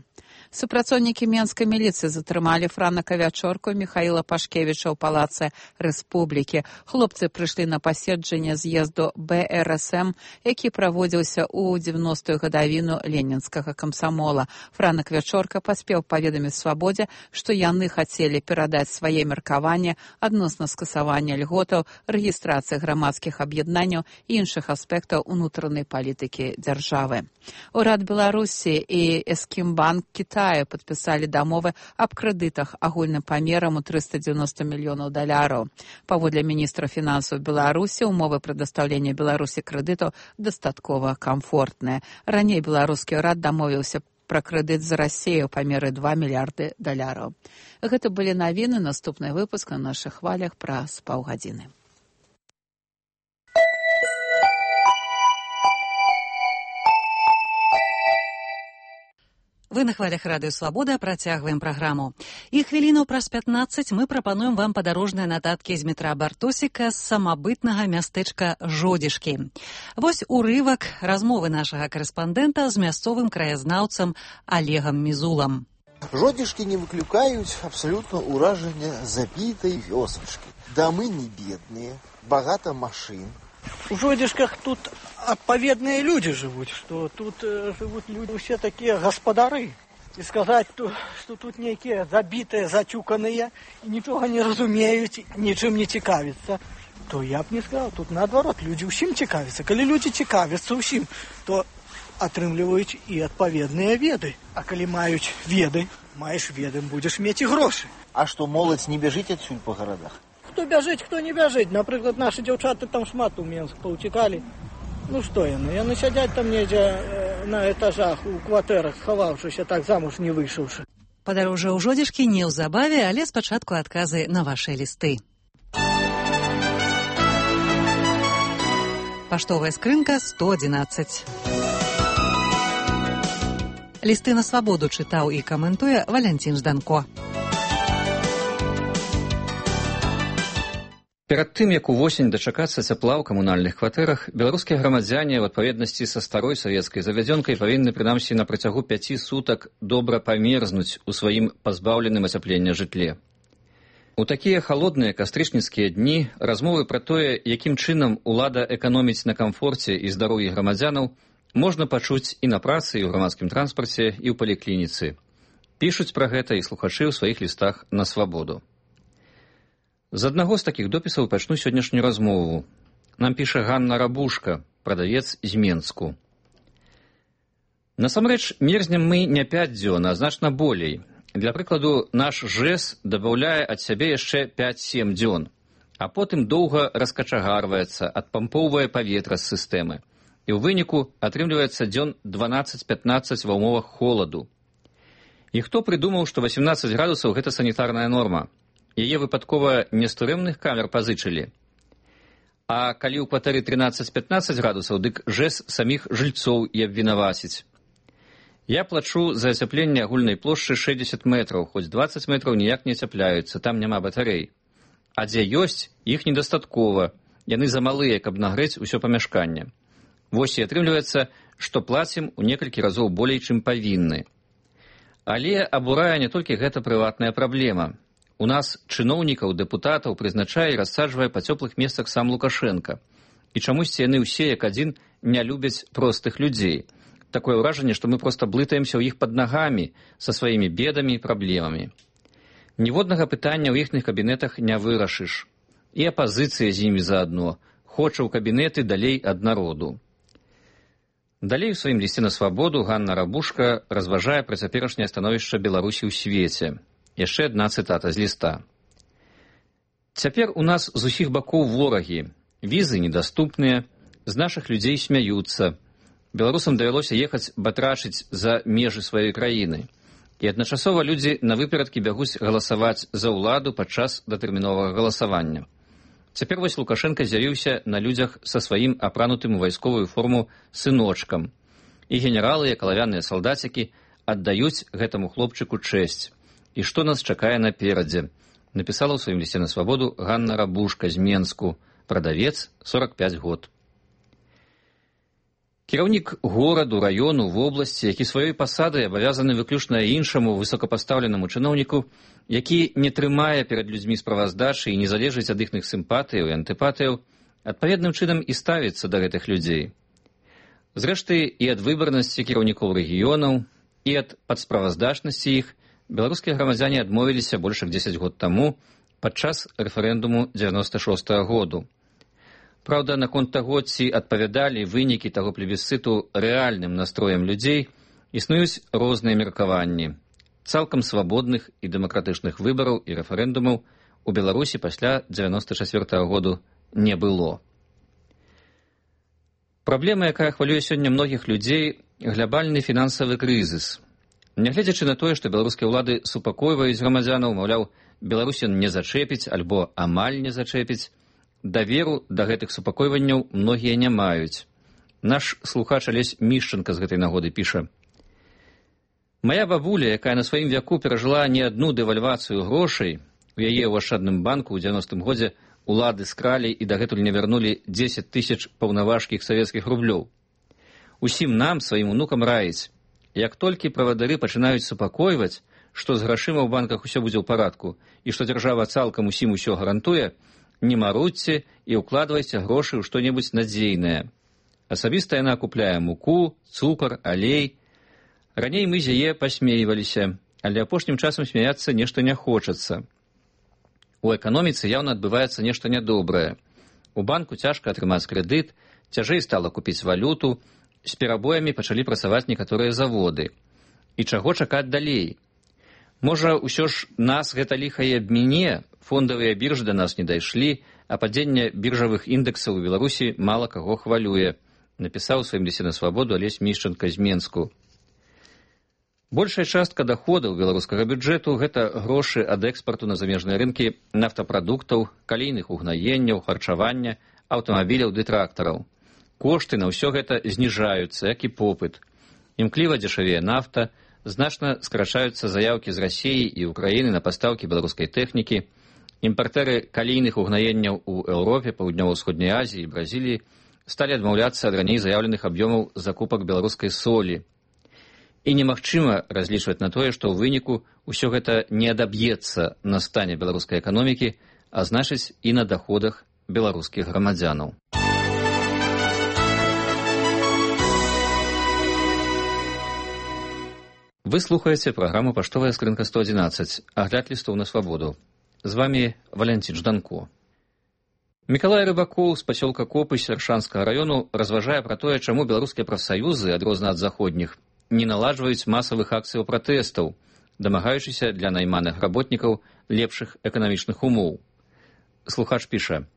Супрацоўнікі менскай міліцыі затрымалі Франака Вячорку Міхаіла Пашкевіча ў палацы Рэспублікі. Хлопцы прыйшлі на паседжанне з'езду бэ эр эс эм, які праводзіўся ў дзевяностую гадавіну ленінскага камсамола. Франак Вячорка паспеў паведаміць Свабодзе, што яны хацелі перадаць свае меркаванні адносна скасавання льготаў, рэгістрацыі грамадскіх аб'яднанняў і іншых аспектаў унутранай палітыкі дзяржавы. Урад Беларусі і Эскімбанк Китая падпісалі дамовы аб крэдытах агульным памерам у триста девяносто мільёнаў даляраў. Паводле міністра фінансаў Беларусі, умовы прадастаўлення Беларусі крэдытаў дастаткова камфортныя. Раней беларускі ўрад дамовіўся пра крэдыт з Расіяй у памеры два мільярды даляраў. Гэта былі навіны, наступны выпуск на нашых хвалях праз паўгадзіны. Вы на хвалях радыё «Свабода» працягваем праграму. І хвілінаў праз пятнаццаць мы прапануем вам падарожныя нататкі з метра Бартосіка з самабытнага мястэчка Жодзішкі. Вось урывак размовы нашага карэспандэнта з мясцовым краязнаўцам Олегам Мізулам. Жодзішкі не выклікаюць абсалютна ўражання забітай вёсачкі. Дамы не бедныя, багата машын, У Жодишках тут отповедные люди живут, что тут э, живут люди все такие господары. И сказать, что тут некие забитые, затюканные, и ничего не разумеют, ничем не цікавятся, то я б не сказал. Тут наоборот, люди усім цікавятся. Коли люди цікавятся усім, то атрымліваюць і адпаведныя веды. А калі маюць веды, маеш веды, будешь мець і грошы. А что, моладзь не бяжыць адсюль по городах? Хто бяжыць, хто не бяжыць. Напрыклад, наши дзяўчаты там шмат у Менск паўцікалі. Ну што яны? Яны сядзяць там недзе э, на этажах, у кватэрах, схаваўшыся, так замуж не выйшаўшы. Падарожжа ў Жодзішкі неўзабаве, але спачатку адказы на вашыя лісты. Паштовая скрынка сто адзінаццаць. Лісты на свабоду чытаў і каментуе Валянцін Жданко. Перад тым, як увосень дачакацца цяпла ў камунальных кватэрах, беларускія грамадзяне ў адпаведнасці са старой савецкай завядзёнкай павінны прынамсі на працягу пяці сутак добра памерзнуць у сваім пазбаўленым ацяплення жытле. У такія халодныя кастрычніцкія дні размовы пра тое, якім чынам улада эканоміць на камфорце і здароўі грамадзянаў, можна пачуць і на працы, і ў грамадскім транспарце, і ў паліклініцы. Пішуць пра гэта і слухачы ў сваіх лістах на свабоду. З аднаго з такіх допісаў пачну сённяшнюю размову. Нам піша Ганна Рабушка, прадавец з Менску. Насамрэч, мерзнем мы не пяць дзён, а значна болей. Для прыкладу, наш ЖЭС дабаўляе ад сябе яшчэ пяць-сем дзён, а потым доўга раскачагарваецца, адпампоўвае паветра з сістэмы. І ў выніку атрымліваецца дзён дванаццаць-пятнаццаць ва ўмовах холаду. І хто прыдумаў, што васемнаццаць градусаў гэта санітарная норма? Яе выпадкова не з турэмных камер пазычылі. А калі ў кватэры трынаццаць-пятнаццаць градусаў, дык ЖЭС саміх жыльцоў і абвінаваціць. Я плачу за ацяпленне агульнай плошчы шэсцьдзесят метраў, хоць дваццаць метраў ніяк не ацяпляюцца, там няма батарэй. А дзе ёсць, іх недастаткова, яны замалыя, каб нагрэць усё памяшканне. Вось і атрымліваецца, што плацім у некалькі разоў болей, чым павінны. Але абурае не толькі гэта прыватная праблема. У нас чыноўнікаў, дэпутатаў прызначае і рассаджвае па цёплых месцах сам Лукашенка. І чамусьці яны ўсе, як адзін, не любяць простых людзей. Такое ўражанне, што мы проста блытаемся ў іх пад нагамі са сваімі бедамі і праблемамі. Ніводнага пытання ў іхных кабінетах не вырашыш. І апазіцыя з імі заадно. Хоча ў кабінеты далей ад народу. Далей у сваім лісце на свабоду Ганна Рабушка разважае пра цяперашняе становішча Беларусі ў свеце. Яшчэ адна цытата з ліста. Цяпер у нас з усіх бакоў ворагі. Візы недаступныя, з нашых людзей смяюцца. Беларусам давялося ехаць батрачыць за межы сваёй краіны. І адначасова людзі на выперадкі бягуць галасаваць за ўладу падчас датэрміновага галасавання. Цяпер вось Лукашенка з'явіўся на людзях са сваім апранутым у вайсковую форму сыночкам. І генералы, як алавяныя салдацікі, аддаюць гэтаму хлопчыку чэсць. І што нас чакае наперадзе? Напісала ў сваім лісце на свабоду Ганна Рабушка з Менску, прадавец, сорок пяць год. Кіраўнік гораду, раёну, вобласці, які сваёй пасадай абавязаны выключна іншаму высокапастаўленаму чыноўніку, які не трымае перад людзьмі справаздачы і не залежыць ад іхных сімпатыяў і антыпатыяў, адпаведным чынам і ставіцца да гэтых людзей. Зрэшты, і ад выбарнасці кіраўнікоў рэгіёнаў, і ад падсправаздачнасці іх беларускія грамадзяне адмовіліся больш як дзесяць год таму падчас рэферэндуму дзевяноста шостага году. Праўда, наконт таго, ці адпавядалі вынікі таго плебісцыту рэальным настроем людзей, існуюць розныя меркаванні. Цалкам свабодных і дэмакратычных выбараў і рэферэндумаў у Беларусі пасля дзевяноста чацвёртага году не было. Праблема, якая хвалюе сёння многіх людзей, глобальны фінансавы крызіс. Нягледзячы на тое, што беларускія ўлады супакойваюць грамадзянаў, маўляў, Беларусін не зачэпіць альбо амаль не зачэпіць, даверу да гэтых супакойванняў многія не маюць. Наш слухач Алесь Мішчанка з гэтай нагоды піша: «Мая бабуля, якая на сваім вяку перажыла не адну дэвальвацыю грошай, у яе ў ашчадным банку ў дзевяностым годзе улады скралі і дагэтуль не вярнулі дзесяць тысяч паўнаважкіх савецкіх рублёў. Усім нам, сваім унукам раіць, як толькі правадары пачынаюць супакойваць, што з грашыма ў банках усё будзе ў парадку і што дзяржава цалкам усім усё гарантуе, не марудзьце і ўкладвайце грошы ў што-небудзь надзейнае. Асабіста яна купляе муку, цукар, алей. Раней мы з яе пасмейваліся, але апошнім часам смяяцца нешта не хочацца. У эканоміцы яўна адбываецца нешта нядобрае. У банку цяжка атрымаць крэдыт, цяжэй стала купіць валюту, з перабоямі пачалі працаваць некаторыя заводы. І чаго чакаць далей? Можа, усё ж нас гэта ліха і абміне, фондавыя біржы да нас не дайшлі, а падзенне біржавых індэксаў у Беларусі мала каго хвалюе, напісаў у сваім лісце на свабоду Алесь Мішчанка з Менску. Большая частка даходаў беларускага бюджэту – гэта грошы ад экспарту на замежныя рынкі нафтапрадуктаў, калійных угнаенняў, харчавання, аўтамабіляў ды трактараў. Кошты на ўсё гэта зніжаюцца, як і попыт. Імкліва дзешавее нафта, значна скрачаюцца заяўкі з Расіі і Украіны на пастаўкі беларускай тэхнікі. Імпартэры калійных угнаенняў у Еўропе, Паўднёва-ўсходняй Азіі і Бразіліі сталі адмаўляцца ад раней заяўленых аб'ёмаў закупак беларускай солі. І немагчыма разлічваць на тое, што ў выніку ўсё гэта не адаб'ецца на стане беларускай эканомікі, а значыць і на даходах беларускіх грамадзянаў. Вы слухаеце праграму «Паштовая скрынка сто адзінаццаць», агляд лістоў на свабоду. З вамі Валянцін Жданко. Мікалай Рыбакоў з пасёлка Копысь Аршанскага раёну разважае пра тое, чаму беларускія прафсаюзы, адрозна ад заходніх, не наладжваюць масавых акцыяў пратэстаў, дамагаючыся для найманых работнікаў лепшых эканамічных умоў. Слухач піша: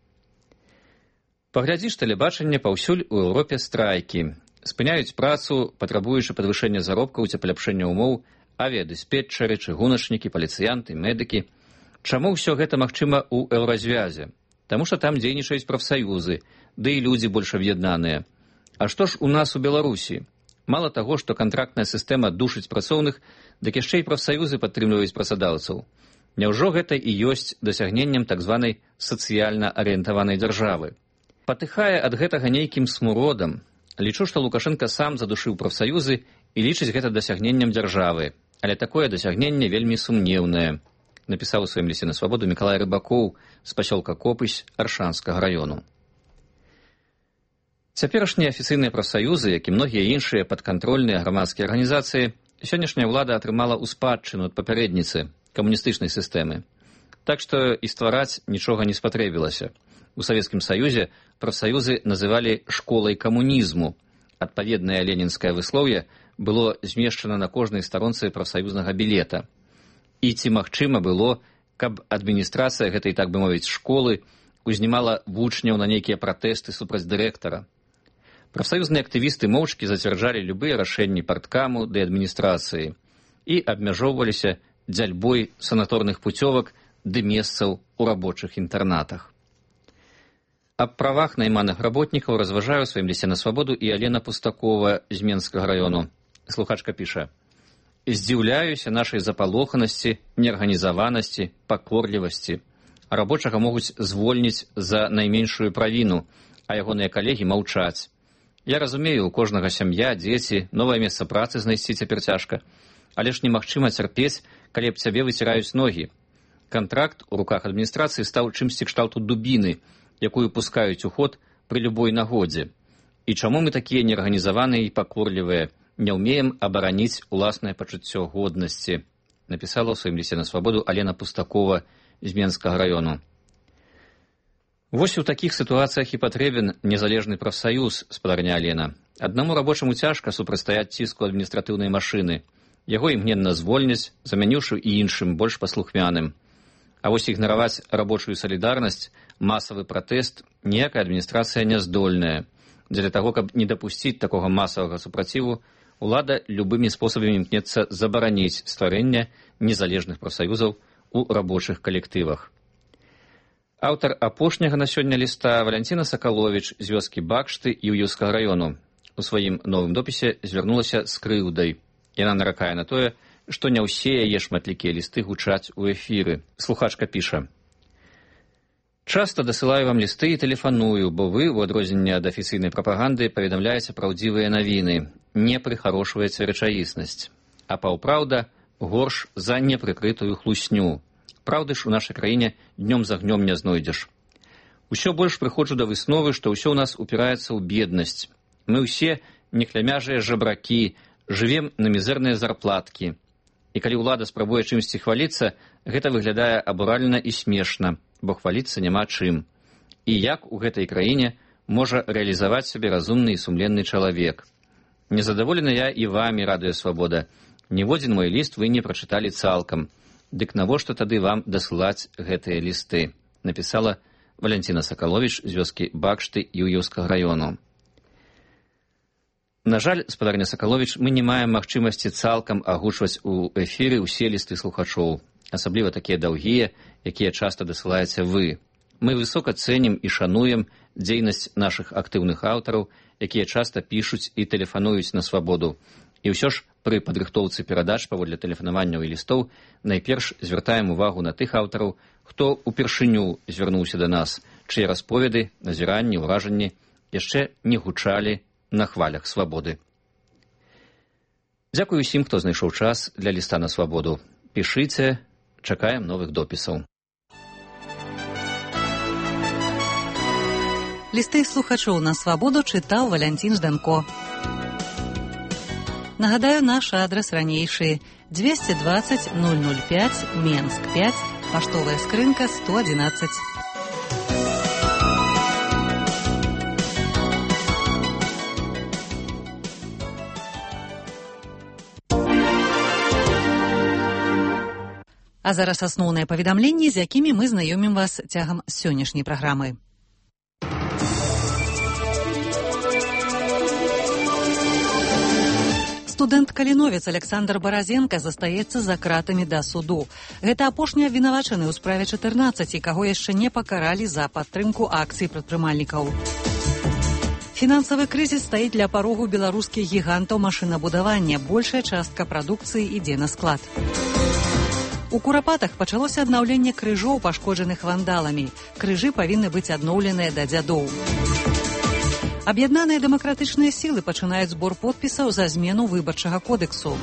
«Паглядзіш тэлебачанне, паўсюль у Еўропе страйкі. Спыняюць працу, патрабуючы падвышэння заробкаў ці паляпшэння умоў, авіядыспетчары, чыгуначнікі, паліцыянты, медыкі. Чаму ўсё гэта магчыма ў Еўразвязе? Таму што там дзейнічаюць прафсаюзы, ды і людзі больш аб'яднаныя. А што ж у нас у Беларусі? Мала таго, што кантрактная сістэма душыць працоўных, дык яшчэ і прафсаюзы падтрымліваюць працадаўцаў. Няўжо гэта і ёсць дасягненнем так званай сацыяльна арыентаванай дзяржавы? Патыхае ад гэтага нейкім смуродам. Лічу, што Лукашенка сам задушыў прафсаюзы і лічыць гэта дасягненнем дзяржавы. Але такое дасягненне вельмі сумнеўнае», напісаў у сваім лісце на свабоду Мікалай Рыбакоў з пасёлка Копысь Аршанскага раёну. Цяперашнія афіцыйныя прафсаюзы, як і многія іншыя падкантрольныя грамадскія арганізацыі, сённяшняя ўлада атрымала ў спадчыну ад папярэдніцы камуністычнай сістэмы. Так што і ствараць нічога не спатрэбілася. У Савецкім Саюзе прафсаюзы называлі школай камунізму. Адпаведнае ленінскае выслоўе было змешчана на кожнай старонцы прафсаюзнага білета. І ці магчыма было, каб адміністрацыя гэтай, так бы мовіць, школы узнімала вучняў на нейкія пратэсты супраць дырэктара. Прафсаюзныя актывісты моўчкі зацвярджалі любыя рашэнні парткаму ды адміністрацыі і абмяжоўваліся дзяльбой санаторных пуцёвак ды месцаў у рабочых інтэрнатах. Аб правах найманых работнікаў разважае ў сваім лісце на свабоду і Алена Пустакова з Менскага раёну. Слухачка піша: «Здзіўляюся нашай запалоханасці, неарганізаванасці, пакорлівасці. Рабочага могуць звольніць за найменшую правіну, а ягоныя калегі маўчаць. Я разумею, у кожнага сям'я, дзеці, новае месца працы знайсці цяпер цяжка, але ж немагчыма цярпець, калі аб цябе выціраюць ногі. Кантракт у руках адміністрацыі стаў чымсьці кшталту дубіны, якую пускаюць у ход пры любой нагодзе. І чаму мы такія неарганізаваныя і пакорлівыя, не ўмеем абараніць уласнае пачуццё годнасці», напісала ў сваім лісце на свабоду Алена Пустакова з Менскага раёну. Вось у такіх сітуацыях і патрэбен незалежны прафсаюз, спадарня Алена. Аднаму рабочаму цяжка супрацьстаяць ціску адміністратыўнай машыны. Яго імгненна звольняць, замяніўшы і іншым, больш паслухмяным. А вось ігнараваць рабочую салідарнасць, масавы пратэст ніякая адміністрацыя не здольная. Дзеля таго, каб не дапусціць такога масавага супраціву, улада любымі спосабамі імкнецца забараніць стварэнне незалежных прафсаюзаў у рабочых калектывах. Аўтар апошняга на сёння ліста Валянціна Сакаловіч з вёскі Бакшты Іўеўскага раёну у сваім новым допісе звярнулася з крыўдай. Яна наракае на тое, што не ўсе яе шматлікія лісты гучаць у эфіры. Слухачка піша: «Часта дасылаю вам лісты і тэлефаную, бо вы, у адрозненне ад афіцыйнай прапаганды, паведамляеце праўдзівыя навіны, не прыхарошваеце рэчаіснасць. А паўпраўда горш за непрыкрытую хлусню. Праўды ж у нашай краіне днём за гнём не знойдзеш. Усё больш прыходжу да высновы, што ўсё ў нас упіраецца ў беднасць. Мы ўсе неклямяжыя жабракі, жывем на мізэрныя зарплаткі. І калі ўлада спрабуе чымсьці хваліцца, гэта выглядае абуральна і смешна, бо хваліцца няма чым. І як у гэтай краіне можа рэалізаваць сябе разумны і сумленны чалавек? Незадаволена я і вамі, Радыё Свабода. Ніводзін мой ліст вы не прачыталі цалкам. Дык навошта тады вам дасылаць гэтыя лісты? Напісала Валянціна Сакаловіч з вёскі Бакшты Юўеўскага раёну. На жаль, спадарня Сакаловіч, мы не маем магчымасці цалкам агучваць у эфіры ўсе лісты слухачоў, асабліва такія даўгія, якія часта дасылаеце вы. Мы высока цэнім і шануем дзейнасць нашых актыўных аўтараў, якія часта пішуць і тэлефануюць на свабоду. І ўсё ж пры падрыхтоўцы перадач паводле тэлефанаванняў і лістоў найперш звяртаем увагу на тых аўтараў, хто упершыню звярнуўся да нас, чые расповеды, назіранні, ўражанні яшчэ не гучалі на хвалях свабоды. Дзякую усім, хто знайшоў час для ліста на свабоду. Пішыце, чакаем новых допісаў. Лісты слухачоў на свабоду чытаў Валянцін Жданко. Нагадаю, наш адрес ранейшы двести двадцать ноль ноль пять, Менск пять, паштовая скрынка сто одиннадцать. А зараз асноўныя паведамленні, з якімі мы знаёмім вас цягам сённяшняй праграмы. Студэнт-каліновец Александр Баразенко застаецца за кратамі да суду. Гэта апошні абвінавачаны ў справе чатырнаццаць, каго яшчэ не пакаралі за падтрымку акцый прадпрымальнікаў. Фінансавы крызіс стаіць ля парогу беларускіх гігантаў машынабудавання. Большая частка прадукцыі ідзе на склад. У Курапатах пачалося аднаўленне крыжоў, пашкоджаных вандаламі. Крыжы павінны быць адноўленыя да дзядоў. Аб'яднаныя дэмакратычныя сілы пачынаюць збор подпісаў за змену выбарчага кодэксу.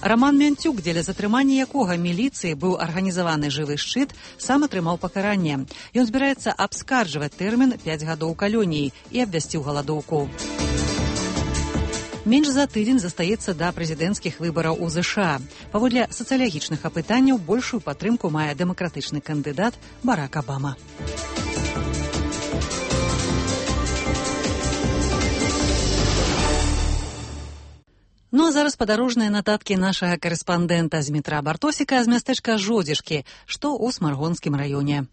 Раман Мянцюк, дзеля затрымання якога міліцыі быў арганізаваны жывы шчыт, сам атрымаў пакаранне. Ён збіраецца абскарджваць тэрмін пяць гадоў калоніі і абвясціў галадоўку. Менш за тыдзень застаецца да прэзідэнцкіх выбараў у ЗША. Паводле сацыялагічных апытанняў большую падтрымку мае дэмакратычны кандыдат Барак Абама. Ну а зараз падарожныя нататкі нашага карэспандэнта з метра Бартосіка з мястэчка Жодзішкі, што ў Смаргонскім раёне.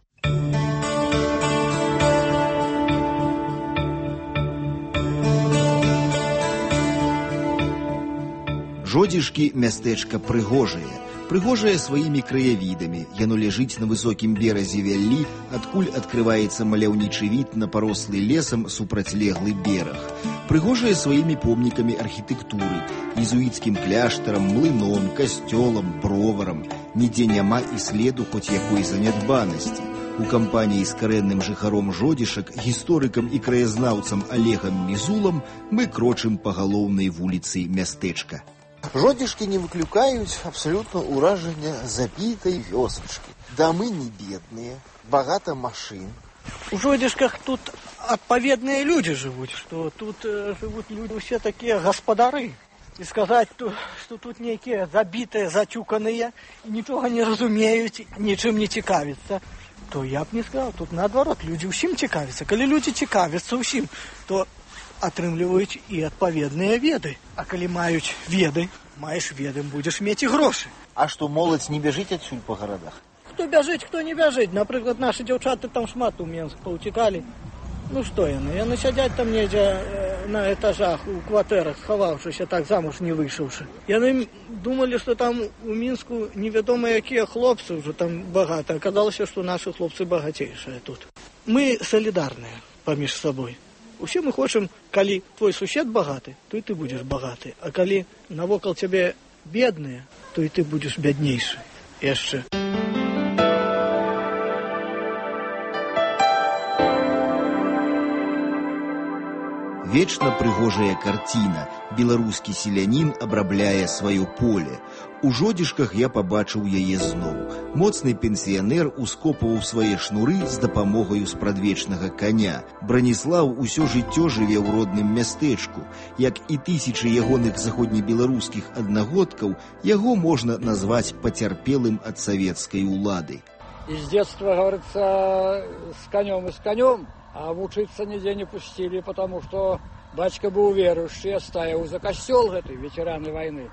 Жодзішкі мястэчка прыгожае. Прыгожае сваімі краявідамі. Яно ляжыць на высокім беразе вяллі, адкуль адкрываецца маляўнічы від на парослы лесам супрацьлеглы бераг. Прыгожае сваімі помнікамі архітэктуры, езуіцкім кляштарам, млыном, касцёлам, броварам. Нідзе няма і следу хоць якой занядбанасці. У кампаніі з карэнным жыхаром Жодзішак, гісторыкам і краязнаўцам Олегам Мізулам мы крочым па галоўнай вуліцы мястэчка. Жодзішкі не выклікаюць абсалютна ўражання забітай вёсачкі. Дамы не бедныя, багата машын. У Жодзішках тут адпаведныя людзі жывуць, што тут э, жывуць людзі ўсе такія гаспадары. І сказаць, што тут нейкія забітыя, зацюканыя, нічога не разумеюць, нічым не цікавяцца, то я б не сказаў, тут наадварот, людзі ўсім цікавяцца. Калі людзі цікавяцца ўсім, то атрымліваюць і адпаведныя веды. А калі маюць веды, маеш веды, будзеш мець і грошы. А што моладзь не бяжыць адсюль па гарадах? Хто бяжыць, хто не бяжыць. Напрыклад, нашы дзяўчаты там шмат у Менск паўцікалі. Ну што яны? Яны сядзяць там недзе э, на этажах, у кватэрах, схаваўшыся, так замуж не выйшаўшы. Яны думалі, што там у Мінску невядома якія хлопцы ўжо там багата. Аказалася, што нашы хлопцы багацейшыя тут. Мы салідарныя паміж сабой. Усе мы хочам, калі твой сусед багаты, то і ты будзеш багаты. А калі навокал цябе бедныя, то і ты будзеш бяднейшы. Яшчэ. Вечна прыгожая карціна. Беларускі селянін абрабляе сваё поле. У Жодзішках я пабачыў яе зноў. Моцны пенсіянер ускопваў свае шнуры з дапамогаю спрадвечнага коня. Браніслаў усё жыццё жыве ў родным мястэчку. Як і тысячы ягоных заходнебеларускіх аднагодкаў, яго можна назваць пацярпелым ад савецкай улады. Из детства, говорится, с конем и с конем, а учиться нигде не пустили, потому что батька был верующий, стаивал за костел этой ветераны войны,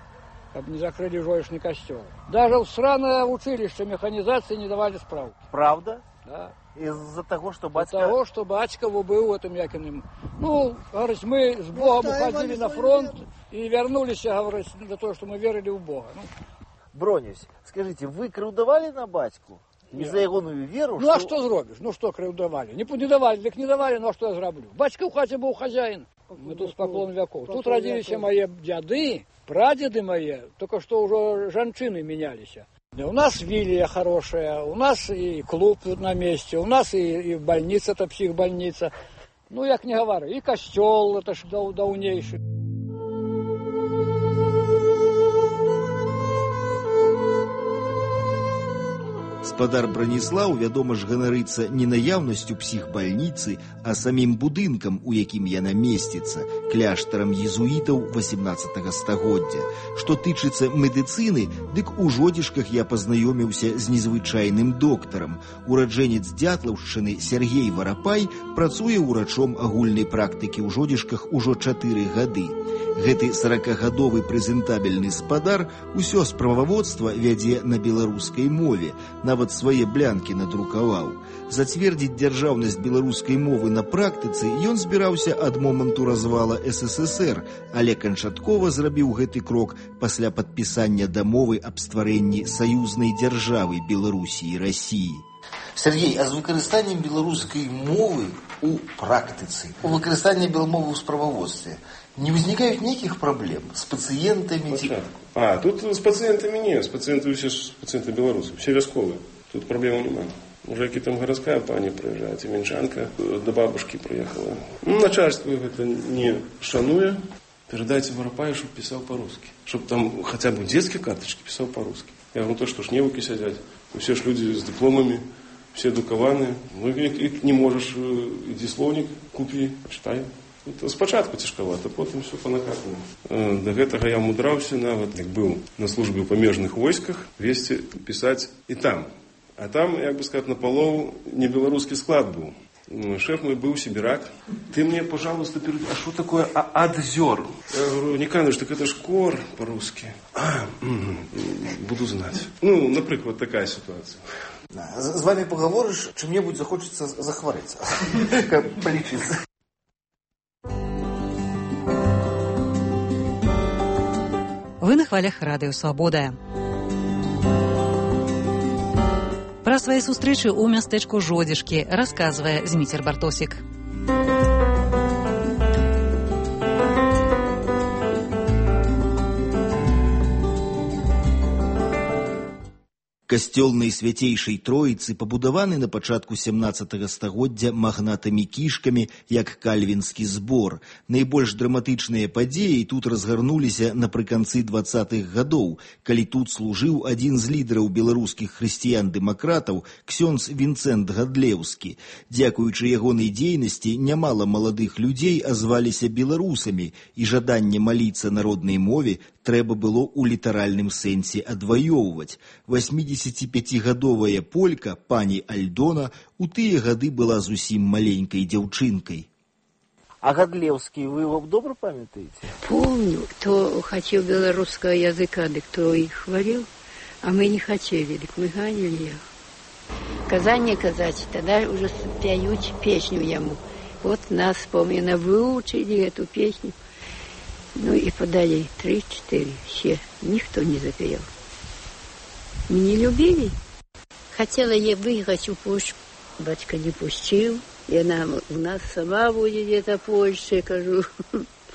чтобы не закрыли жоечный костел. Даже в сраное училище механизации не давали справки. Правда? Да. Из-за того, что батька... Из-за того, что батька был этим якиным. Ну, говорит, мы с Богом уходили на фронт и вернулись, говорит, для того, что мы верили в Бога. Ну. Бронюсь, скажите, вы крыўдавали на батьку? Не за ягоную веру? Ну, что... а что зробишь? Ну, что крыўдавали? Не, не давали, так не давали, ну, а что я зроблю? Батька в хате был хозяин. Мы тут с поклон веков. Тут родились мои дяды, прадеды мои, только что уже женщины менялись. У нас вилья хорошая, у нас и клуб тут на месте, у нас и, и больница, это психбольница. Ну, як не говорю, и костел, это ж давнейший. Спадар Браніслаў, вядома ж, ганарыцца не наяўнасцю псіхбальніцы, а самім будынкам, у якім яна месціцца, кляштарам езуітаў васемнаццатага стагоддзя. Што тычыцца медыцыны, дык у Жодзішках я пазнаёміўся з незвычайным доктарам. Ураджэнец Дзятлаўшчыны Сергей Варапай працуе ўрачом агульнай практыкі ў Жодзішках ужо чатыры гады. Гэты саракагадовы прэзентабельны спадар усё справаводства вядзе на беларускай мове, нават свае блянкі надрукаваў. Зацвердзіць дзяржаўнасць беларускай мовы на практыцы ён збіраўся ад моманту развала эс эс эс эр, але канчаткова зрабіў гэты крок пасля падпісання дамовы аб стварэнні саюзнай дзяржавы Беларусі і Расіі. Сергей, а з выкарыстаннем беларускай мовы у практыцы, у выкарыстанні белмовы ў справаводстве не возникают никаких проблем с пациентами? А, тут с пациентами нет, с пациентами все пациенты белорусы, все вясковые, тут проблем немає. Уже які там городская пані приезжает, Тименчанка до бабушки приехала. Ну, начальство это не шануя, передайте Воропаю, чтобы писал по-русски. Чтобы там хотя бы детские карточки писал по-русски. Я говорю, то что ж невуки сидят, все ж люди с дипломами, все дукаваны. Ну и не можешь, иди словник купи, читай. Это спочатку цяжкавата, потым все па-накатнаму. Да гэтага я мудраўся, нават як быў на службе ў памежных войсках, весці пісаць і там. А там, як бы сказать, напалову не беларускі склад быў. Шеф мой был сибирак. Ты мне, пожалуйста, перед... а что такое адзер? Я говорю, Никаныч, так это ж кор по-русски. А, буду знать. Ну, например, вот такая ситуация. З вами поговоришь, чем-нибудь захочется захвориться. Полечиться. Вы на хвалях радыё Свабода. Пра свае сустрэчы ў мястэчку Жодзішкі расказвае Зміцер Бартосік. Касцёл найсвяцейшай Троіцы пабудаваны на пачатку сямнаццатага стагоддзя магнатамі-кішкамі, як кальвінскі збор. Найбольш драматычныя падзеі тут разгарнуліся напрыканцы дваццатых гадоў, калі тут служыў адзін з лідараў беларускіх хрысціян-дэмакратаў, ксёндз Вінцэнт Гадлеўскі. Дзякуючы ягонай дзейнасці нямала маладых людзей азваліся беларусамі, і жаданне маліцца на роднай мове трэба было ў літаральным сэнсе адваёўваць. восьмідзесяціпяцігадовая полька, пані Альдона, у тыя гады была зусім маленькай дзяўчынкай. А Гадлеўскі вы его добра памятаеце? Помню, кто хотел белорусского языка, да кто их хвалил, а мы не хотели, так мы ганили их. Казание казать, тогда уже пяют песню ему. Вот нас, помню, выучили эту песню. Ну и подали три-четыре, все, никто не запел. Мы не любили. Хотела я выиграть у Польши, батька не пустил. И она у нас сама будет где-то Польша, кажу,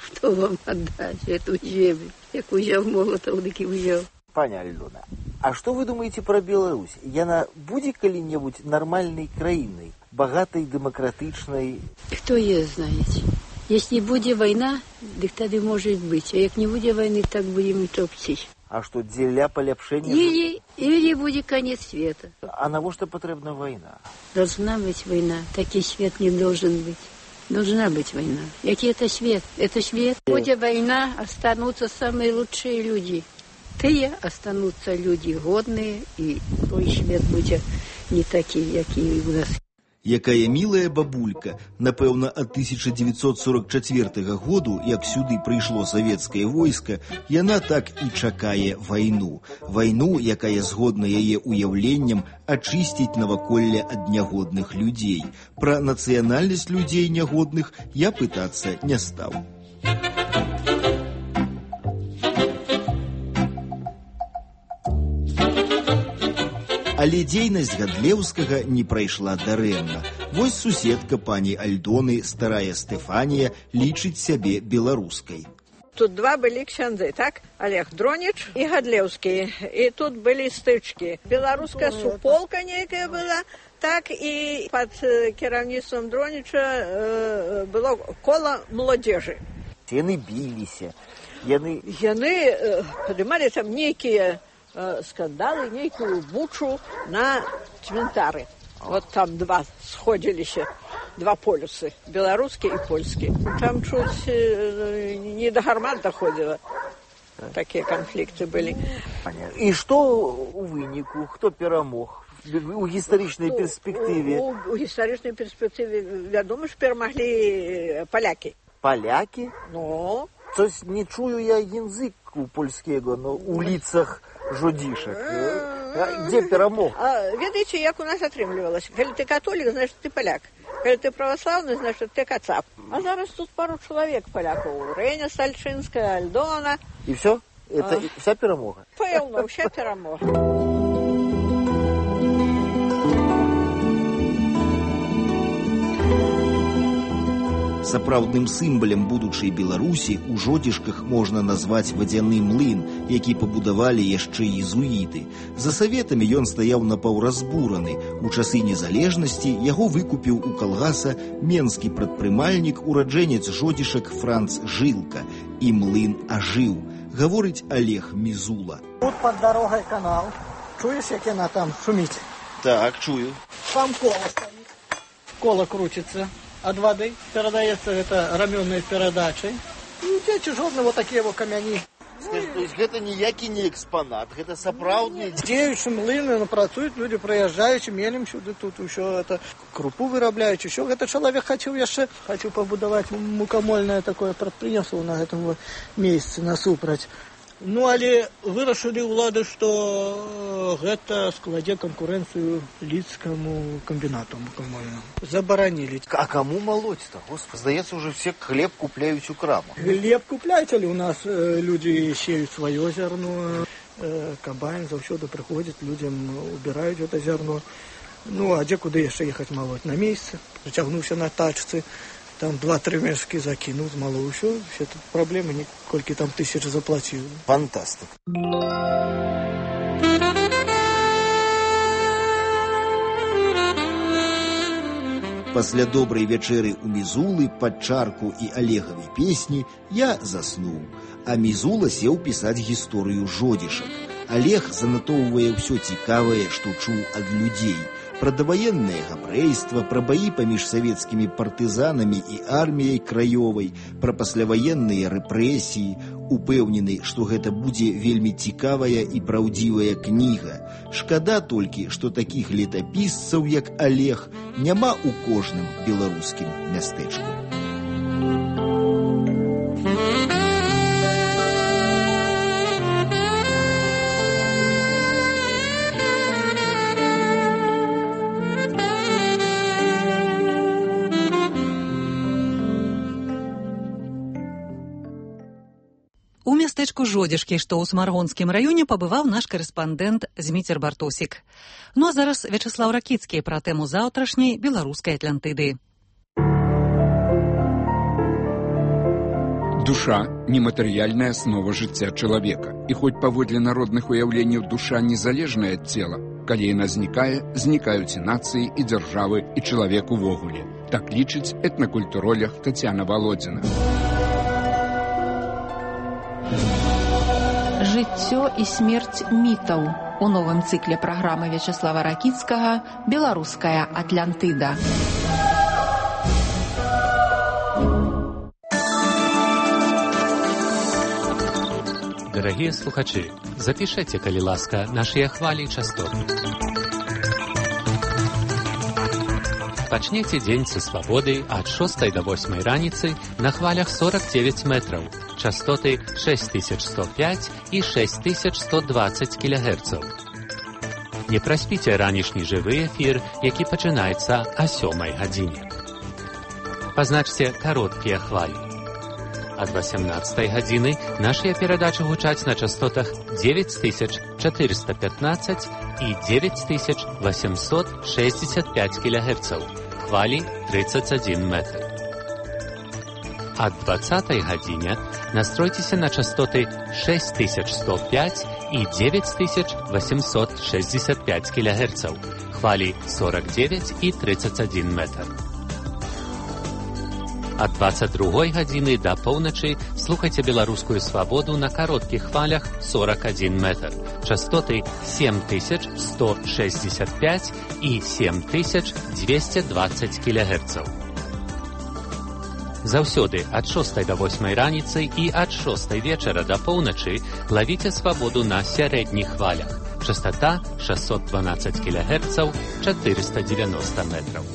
что вам отдать эту землю. Як узял молотов, так и взял. Пані Альдона, а что вы думаете про Беларусь? Яна будет коли-нибудь нормальной краиной, богатой, демократичной? Кто ее знает? Если будет война, так тогда может быть. А если не будет войны, так будем и топчись. А что, дзеля поляпшения? Или, или будет конец света. А на что потребна война? Должна быть война. Такой свет не должен быть. Должна быть война. Який это свет? Это свет. Будет война, останутся самые лучшие люди. Тые останутся люди годные, и той свет будет не такие, какие у нас. Якая милая бабулька, напэўна, ад тысяча девятьсот сорок четвёртага году, як сюды прыйшло савецкае войска, яна так і чакае вайну. Вайну, якая згодна яе уяўленням ачысціць наваколле ад нягодных людзей. Пра нацыянальнасць людзей нягодных я пытацца не стаў. Але дзейнасць Гадлеўскага не прайшла дарэмна. Вось суседка пані Альдоны, старая Стэфанія, лічыць сябе беларускай. Тут два былі ксяндзы, так? Олег Дронич і Гадлеўскі. І тут былі стычкі. Беларуская суполка нейкая была, так і пад кіраўніцтвам Дроніча э, было кола маладзежы. Яны біліся. Яны, Яны э, падымалі там нейкія скандалы, некую бучу на цвинтары. Вот там два сходились, два полюсы, белорусский и польский. Там чуть не до гармат доходило. Такие конфликты были. И что у вынику? Кто перамог? У гістарычнай перспектыве? У, у, у гістарычнай перспектыве, вядома, ж перамаглі поляки. Поляки? Ну. То есть не чую я языку польского, но у лицах жодишек. Где перамог? А, ведаеце, як у нас атрымлівалася? Калі ты католік, значит ты поляк. Калі ты православны, значит ты кацап. А зараз тут пару человек поляков. Реня Сальчинская, Альдона. И все? Это а... вся перамога? Пэўна, вся перамога. Сапраўдным сімвалам будучай Беларусі у Жодзішках можна назваць вадзяны млын, які пабудавалі яшчэ езуіты. За саветамі ён стаяў напаўразбураны. У часы незалежнасці яго выкупіў у калгаса менскі прадпрымальнік, ураджэнец Жодзішак Франц Жылка. І млын ажыў, гаворыць Олег Мізула. Тут пад дарогай канал. Чуеш, як яна там шуміць? Так, чую. Там кола стаіць. Кола крутится. От воды передается это раменной передачей. И эти жодные вот такие вот камяни. Скажи, то есть это ніякі не экспонат, это сапраўдны... Дзеючы млыны, працуюць люди, прыязджаючы, мелем сюды, тут еще это крупу вырабляюць, еще это человек хацеў яшчэ, хацеў пабудаваць мукамольнае такое прадпрыемства на гэтым месцы насупраць. Ну, але вырашылі ўлады, што гэта складзе канкурэнцыю лідскаму камбінату мукамольнаму. Забаранілі. А кому молоть-то? Господи, здаецца, уже все хлеб купляюць у крамах. Хлеб купляюць, але у нас э, люди сеют свое зерно, э, комбайн заўсёды прыходзіць, людям убираюць это зерно. Ну, а дзе куды яшчэ ехаць молоть? На месяц, прыцягнуўся на тачцы. Там два-три мешки закинул, мало еще. Все тут проблемы, никольки там тысяч заплатил. Фантастик. Пасля добрай вячэры ў Мізулы пад чарку і Олегавай песні я заснуў, а Мізула сеў пісаць гісторыю Жодзішак. Олег занатоўвае ўсё цікавае, што чуў ад людзей. Пра даваеннае габрэйства, пра баі паміж савецкімі партызанамі і арміяй краёвай, пра пасляваенныя рэпрэсіі, упэўнены, што гэта будзе вельмі цікавая і праўдзівая кніга. Шкада толькі, што такіх летапісцаў, як Олег, няма ў кожным беларускім мястэчку. У мястэчку Жодзішкі, што ў Смаргонскім раёне, пабываў наш карэспандэнт Зміцер Бартосік. Ну а зараз Вячаслаў Ракіцкі пра тэму заўтрашняй беларускай Атлантыды. Душа – нематэрыяльная аснова жыцця чалавека. І хоць паводле народных уяўленняў душа незалежная ад цела, калі яна знікае, знікаюць і нацыі, і дзяржавы, і чалавек увогуле. Так лічыць этнакультуролог Тацяна Валодзіна. Жыццё і смерць мітаў у новым цыкле праграмы Вячеслава Ракіцкага «Беларуская Атлантыда». Дорогие слухачи, запишите, калі ласка, наши хвали и частоты. Пачнеце дзень са свабоды ад шостай да восьмай раніцы на хвалях сорок девять метраў, частоты шесть тысяч сто пять и шесть тысяч сто двадцать килогерцаў. Не праспіце ранішні жывы эфір, які пачынаецца о сёмай гадзіне. Пазначце кароткія хвалі. Ад восемнадцатай гадзіны нашыя перадачы гучаць на частотах девять тысяч четыреста пятнадцать и девять тысяч восемьсот шестьдесят пять килогерцаў, хвалі тридцать один метр. Ад двадцатай гадзіне настройцеся на частоты шесть тысяч сто пять и девять тысяч восемьсот шестьдесят пять килогерцаў, хвалі сорок девять и тридцать один метр. Ад двадцать другой гадзіны да поўначы слухайце беларускую свабоду на кароткіх хвалях сорок один метр, частоты семь тысяч сто шестьдесят пять и семь тысяч двести двадцать килогерцаў. Заўсёды ад шостай да восьмай раніцы і ад шостай вечара да поўначы лавіце свабоду на сярэдніх хвалях, частота шестьсот двенадцать килогерцаў, четыреста девяносто метров.